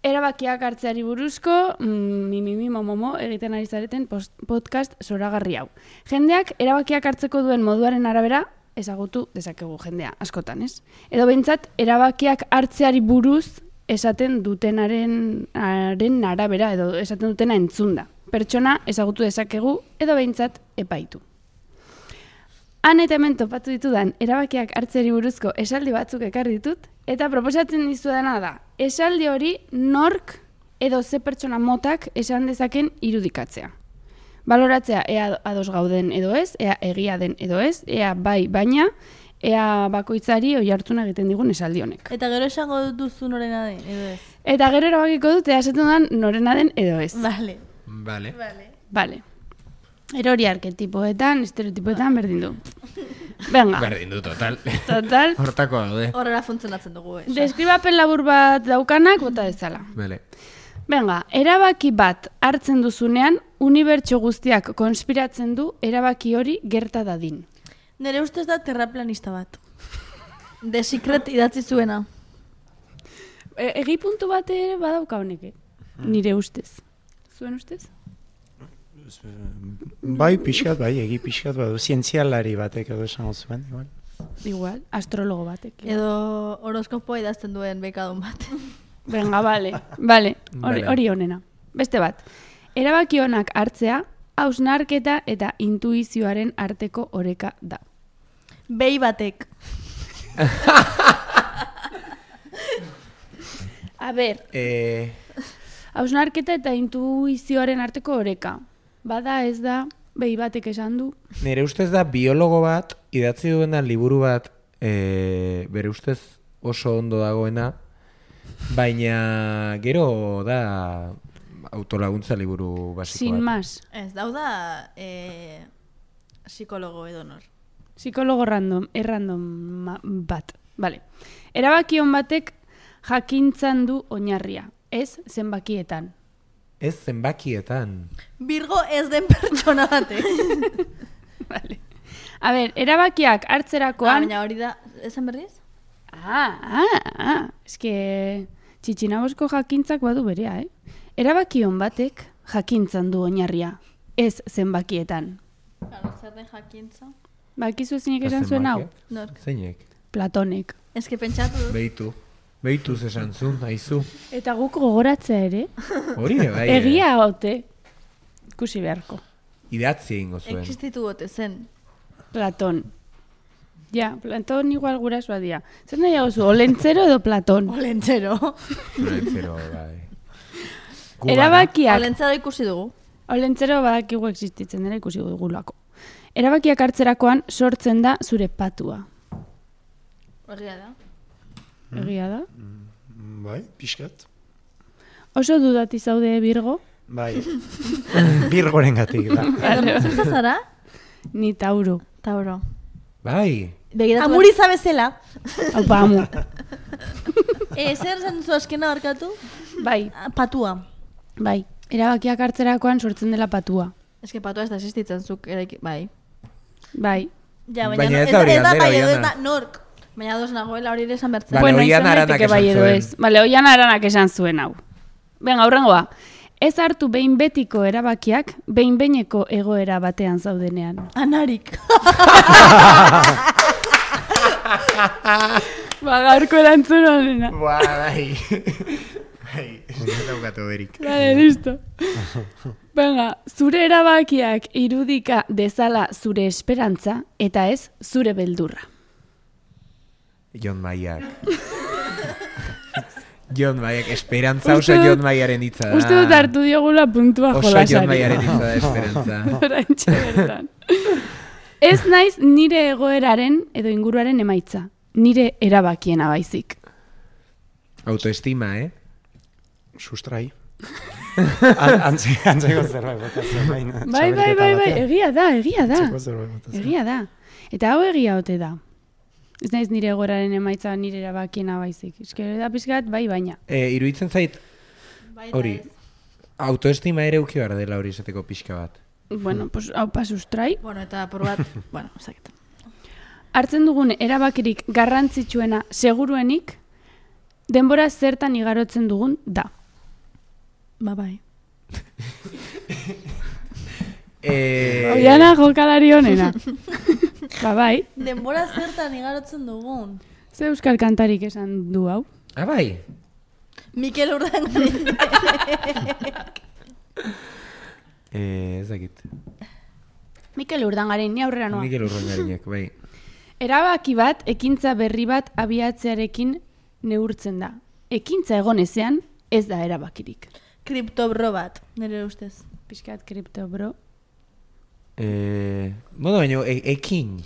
Erabakiak hartzeari buruzko, mm, mi, mi, mi, mo, mo, mo, egiten ari zareten post, podcast zoragarri hau. Jendeak erabakiak hartzeko duen moduaren arabera, ezagutu dezakegu jendea, askotan, ez? Edo behintzat, erabakiak hartzeari buruz esaten dutenaren haren arabera, edo esaten dutena entzunda. Pertsona ezagutu dezakegu, edo behintzat epaitu. Han eta hemen topatu ditudan erabakiak hartzeri buruzko esaldi batzuk ekarri ditut, eta proposatzen dizudana da, esaldi hori nork edo ze pertsona motak esan dezaken irudikatzea. Baloratzea ea ados gauden edo ez, ea egia den edo ez, ea bai baina, ea bakoitzari oi hartuna egiten digun esaldi honek. Eta gero esango duzu norena den, edo ez. Eta gero erabakiko dut ea esaten dudan norena den edo ez. Vale. Vale. Vale. Erori arketipoetan, estereotipoetan berdin du. Venga, Berdin du, total. total. Hortako daude. Horrela funtzionatzen dugu, ez. Deskribapen labur bat daukanak bota dezala. Vale. Venga, erabaki bat hartzen duzunean, unibertso guztiak konspiratzen du erabaki hori gerta dadin. Nere ustez da terraplanista bat. The Secret idatzi zuena. E, egi puntu bat ere badauka honek, eh? Nire ustez. Zuen ustez? Bai, pixkat, bai, egi pixkat, badu, zientzialari batek edo esango zuen, igual. Igual, astrologo batek. eh? Edo horoskopoa idazten duen bekadun bat. Venga, vale, vale, hori Vale. hori honena. Beste bat, erabaki honak hartzea, hausnarketa eta intuizioaren arteko oreka da. Behi batek. A ber, Eh, hausnarketa eta intuizioaren arteko oreka. Bada ez da, behi batek esan du. nire ustez da biologo bat, idatzi duena liburu bat, eh, bere ustez oso ondo dagoena, baina gero da autolaguntza liburu basiko Sin bat. más. Ez, dau da eh, psikologo edonor. Psikologo random, errandom ma- bat. Vale. Erabaki on batek jakintzan du oinarria, ez zenbakietan. Ez zenbakietan. Virgo ez den pertsona batek. Vale. A ber, erabakiak Ah, hartzerakoan... baina hori da, esan berriz? Ah, ah, ah. Eske, txitxinabosko jakintzak badu berea, eh? Erabaki on batek jakintzan du oinarria, ez zenbakietan. Claro, zer den jakintza? Bakizu ezinek esan zuen hau? Nork. Zeinek? Platonek. Ez que pentsatu dut. Beitu. Beituz esan zuen, haizu. Eta guk gogoratzea ere, Hori ere bai. eh. egia ote, ikusi beharko. Idatzi egingo zuen. Existitu gote zen. Platon. Ja, Platon igual gurasoa dira. Zer nahiago zu, olentzero edo Platon? Olentzero. Olentzero, bai. Gu gara. Erabakiak, Olentzero ikusi dugu. olentzero badakigu existitzen dela ikusi dugulako. Erabakiak hartzerakoan sortzen da zure patua. Horria da. Egia da? Bai, pixkat. Oso dudati zaude Virgo? Bai. Birgoren gatik, da. Zer zara? Ni Tauro. Tauro. Bai. Begiratu. Amuriza bezala. Aupa, amu. Eh, zer zen zu askena horkatu? Bai, Patua. bai. Erabakiak hartzerakoan sortzen dela patua. Ez que patua ez da existitzen zuk. Eraiki, bai. Bai. Ja, baina, Baina no- ez da hori ez da galdera, bai, edo ez Oiana. da nork. Baina dos nagoela hori ere esan bertzen. Vale, bueno, Oian izan Aranak daiteke esan bai edo zuen. ez. Vale, Oian Aranak esan zuen hau. Venga, aurrengoa. Ez hartu behin betiko erabakiak, behin behineko egoera batean zaudenean. Anarik. Ba, gaurko erantzun honena. Ba, bai. Bai, ez daukatu berik. Vale, listo. Venga, zure erabakiak irudika dezala zure esperantza eta ez zure beldurra. Jon Maiak. Jon Maiak, esperantza oso Uste dut- Jon Maiaren hitza da. Uste dut hartu diogula puntua Oso jolasari. Jon Maiaren hitza da, esperantza. Oraintxe bertan. Ez naiz nire egoeraren edo inguruaren emaitza. Nire erabakiena baizik. Autoestima, eh? Sustrai. An- Antze, antzeko zerbait botatzen. baina Bai, bai, txapelketa bai, bai, batean. egia da, egia da. Antzeko zerbait botatzen. Egia da. Eta hau egia ote da. Ez naiz nire egoeraren emaitza nire erabakiena baizik. Eske da pizkat bai baina. E, iruditzen zait, Bai, hori, autoestima ere uki behar dela hori esateko pixka bat. Bueno, pues hau pasustrai. Bueno, eta por bat, bueno, ezakit. Hartzen dugun erabakirik garrantzitsuena seguruenik denbora zertan igarotzen dugun da. Ba, bai. E, Oiana jokalari honena. Ba bai, Denbora zertan igarotzen dugun. ze euskal kantarik esan du hau. Ah, bai. Mikel Urdangarin. E, ez dakit. Mikel Urdangarin, ni aurrera noa. Mikel Urrengarinek, bai. Erabaki bat, ekintza berri bat abiatzearekin neurtzen da. Ekintza egon ezean, ez da erabakirik. Kriptobro bat, nire ustez. Piskat kripto, bro. E, bueno, baina e, ekin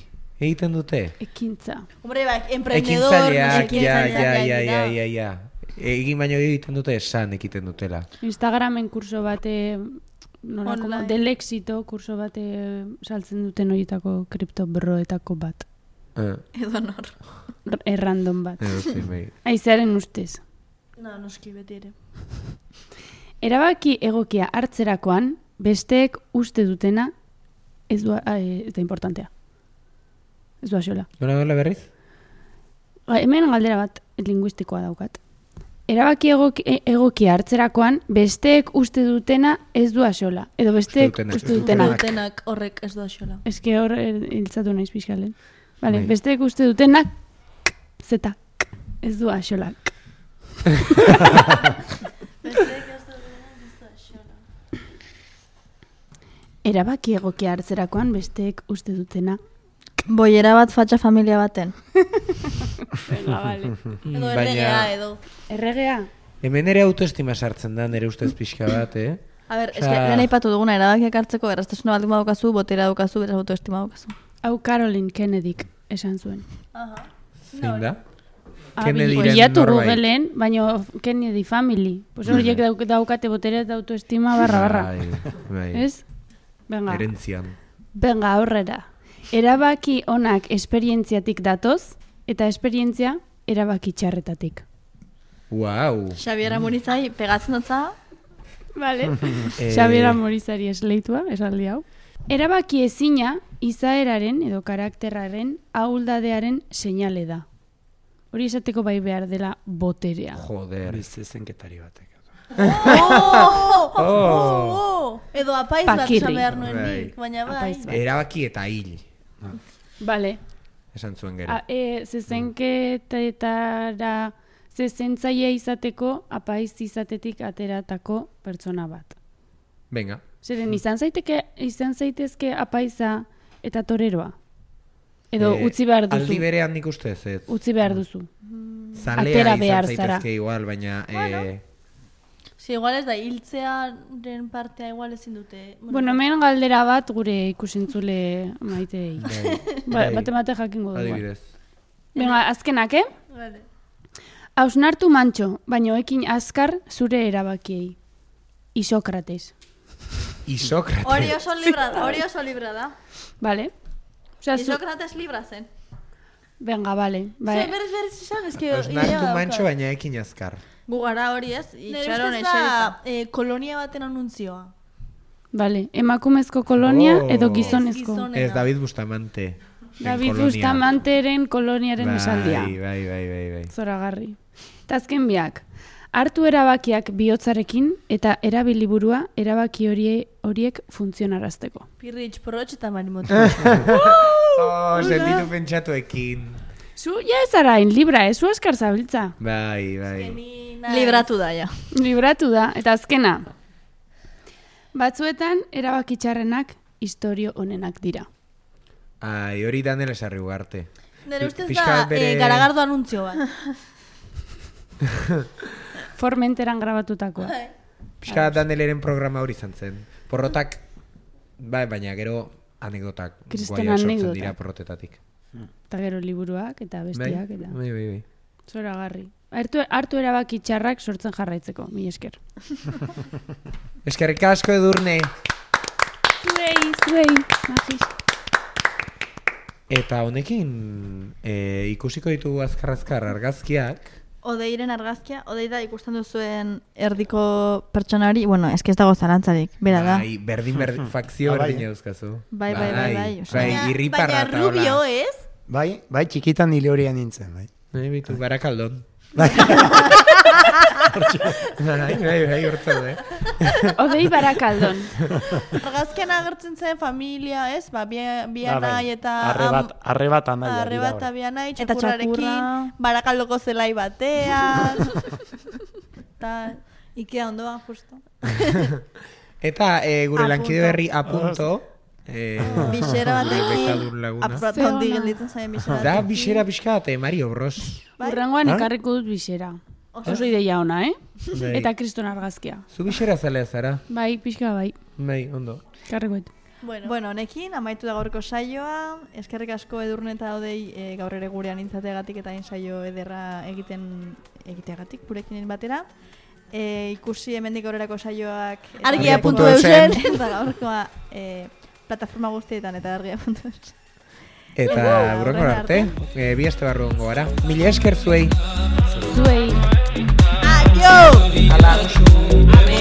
egiten dute. Ekintza. Hombre, bai, emprendedor. Ekintzaileak, ja, ja, ekintzaileak ja, dira. ja, ja, ja. Egin baino egiten dute esan ekiten dutela. Instagramen kurso bate, nola, como, Online. del éxito kurso bate saltzen duten horietako kripto broetako bat. Eh, Edo nor. R- Errandom bat. edo zein, bai. Aizearen ustez. No, noski beti ere. Erabaki egokia hartzerakoan, besteek uste dutena, ez du, eh, ez da importantea. Ez du asola. Nola nola berriz? Ba, hemen galdera bat linguistikoa daukat. Erabaki egoki, e- egokia hartzerakoan, besteek uste dutena ez du asola. Edo besteek dutenak. uste dutenak. Dutenak horrek ez du axola. Eske hor eh, hiltzatu naiz pixkalen. Vale, Bai. besteek uste dutenak, zeta, ez du asola. Erabaki egokia hartzerakoan besteek uste dutena. Boiera bat fatxa familia baten. Venga, vale. Edo erregea, edo. Erregea? Hemen ere autoestima sartzen da, nire ustez pixka bat, eh? A ber, Osea- eske, lehen aipatu duguna, erabakiak hartzeko, erraztasuna baldin badaukazu, botera daukazu, beraz autoestima daukazu. Hau Caroline Kennedyk esan zuen. Zein da? Ah, Kennedyren bilatu norbait. Googleen, baina Kennedy Family. Pues horiek dauk- daukate botere eta autoestima barra barra. Bai, bai. Ez? Venga. Herentzian. Venga, aurrera. Erabaki onak esperientziatik datoz, eta esperientzia erabaki txarretatik. Wow. Xabiera Murizai, pegatzen dutza, Vale. Eh, Xabiera Morizari esleitua, esaldi hau. Erabaki ezina izaeraren edo karakterraren ahuldadearen seinale da. Hori esateko bai behar dela boterea. Joder. Bizi zenketari batek. Oh! Oh. Oh! Edo apaiz bat Pakirri. esan behar nuen Bai. nik, baina bai. Apaiz bat. Erabaki eta hil. Vale. Esan zuen gero. A, e, zezenketetara zezentzaia izateko apaiz izatetik ateratako pertsona bat. Venga. Zeren izan zaiteke izan zaitezke apaiza eta toreroa. Edo Eh, utzi behar duzu. Aldi berean nik ustez, ez. Utzi behar duzu. Zalea atera izan behar zaitezke zara. igual, baina... Eh, Si, igual ez da, hiltzearen partea igual ezin dute. Bueno, hemen galdera bat gure ikusentzule maiteei. bai, Ba, bai. bate bate jakingo dugu. Adibidez. Venga, azkenak, eh? Vale. Hausnartu mantxo, baino ekin azkar zure erabakiei. Isokrates. Isócrates. Hori oso libra da, hori oso libra da. Vale? Osea, zu... Isócrates libra zen. Venga, vale. Bai. Bai. Berez berez esan, eski... Osnartu mantxo, baina ekin azkar. gu gara hori ez, Nire itxaron ustez eserita. da, eh, kolonia baten anuntzioa. Vale. Emakumezko kolonia Oh. edo gizonezko. Gizon- Ez David Bustamante. David kolonia. Bustamanteren koloniaren esaldia. Bai, bai, bai, bai, bai. Zoragarri. Eta azken biak. Hartu erabakiak bihotzarekin eta erabili burua erabaki horie, horiek funtzionarazteko. Pirritx, porrotx eta marimotu. Oh, sentitu pentsatuekin. Zu, ja ez arain, libra, ez zu askar zabiltza. Bai, bai. Libratu da, ja. Libratu da, eta azkena. Batzuetan, erabaki txarrenak istorio onenak dira. Ai, hori Daniel esarri ugarte. Nire ustez Pixka da, bat bere- eh, garagardo anuntzio bat. Formenteran grabatutakoa. Pixka bat Danieleren programa hori izan zen. Porrotak, bai, baina gero anekdotak Kriston guaiak sortzen anekdotak. dira porrotetatik. Eta gero liburuak eta Bai, bestiak eta bai, bai, bai. zoragarri. Hartu, hartu erabaki txarrak sortzen jarraitzeko, mi esker. Eskerrik asko Edurne. Zuei, zuei, magis. Eta honekin e, ikusiko ditugu azkar-azkar argazkiak. Odeiren argazkia, odei da ikusten duzuen erdiko pertsonari, bueno, eske ez dago zalantzarik, bera da. Bai, berdin berdin, fakzio Ah, bai, berdin eh? euskazu. Bai, bai, bai, bai, osea. Bai, Baina- irriparra baina eta rubio, hola. ez? Bai, bai, txikitan nile horian nintzen, bai. Bai, bitu, barakaldon. Bai. Bai, bai, bai, hortza du, eh? Odei barakaldon. Argazkian agertzen zen familia, ez? Ba, bi, bi Ba, bai. anai eta... Arre bat, arre bat anaia Arre dira bat hor. bi anai, Eta txakurrarekin, txakurra. barakaldoko zelai batean. Eta... Ikea ondoan, justo. Eta e, gure A lankide punto. berri a punto. E, Bixera batekin, bekadun laguna. aprota hondi gelditzen zaien bixera Da, batekin. bixera pixka bat, eh, Mario Bros. Bai? Urrengoan Ah? ekarriko dut bisera. Oso ideia ona, eh? Bai. Eta kriston argazkia. Zu bixera zalea zara. Bai, pixka bai. Bai, ondo. Karriko dut. Bueno, Bueno, honekin, amaitu da gaurko saioa, eskerrik asko Edurne eta Odei e, gaur ere gurean intzateagatik eta hain saio ederra egiten egiteagatik gurekin batera. E, ikusi hemendik aurrerako saioak eta- Argia puntu eusen. eta gaurkoa e, plataforma guztietan eta argia puntu eusen. Eta burrengor arte, e, bi aste barru ongo gara. Mila esker zuei. Zuei. Adio! Ala.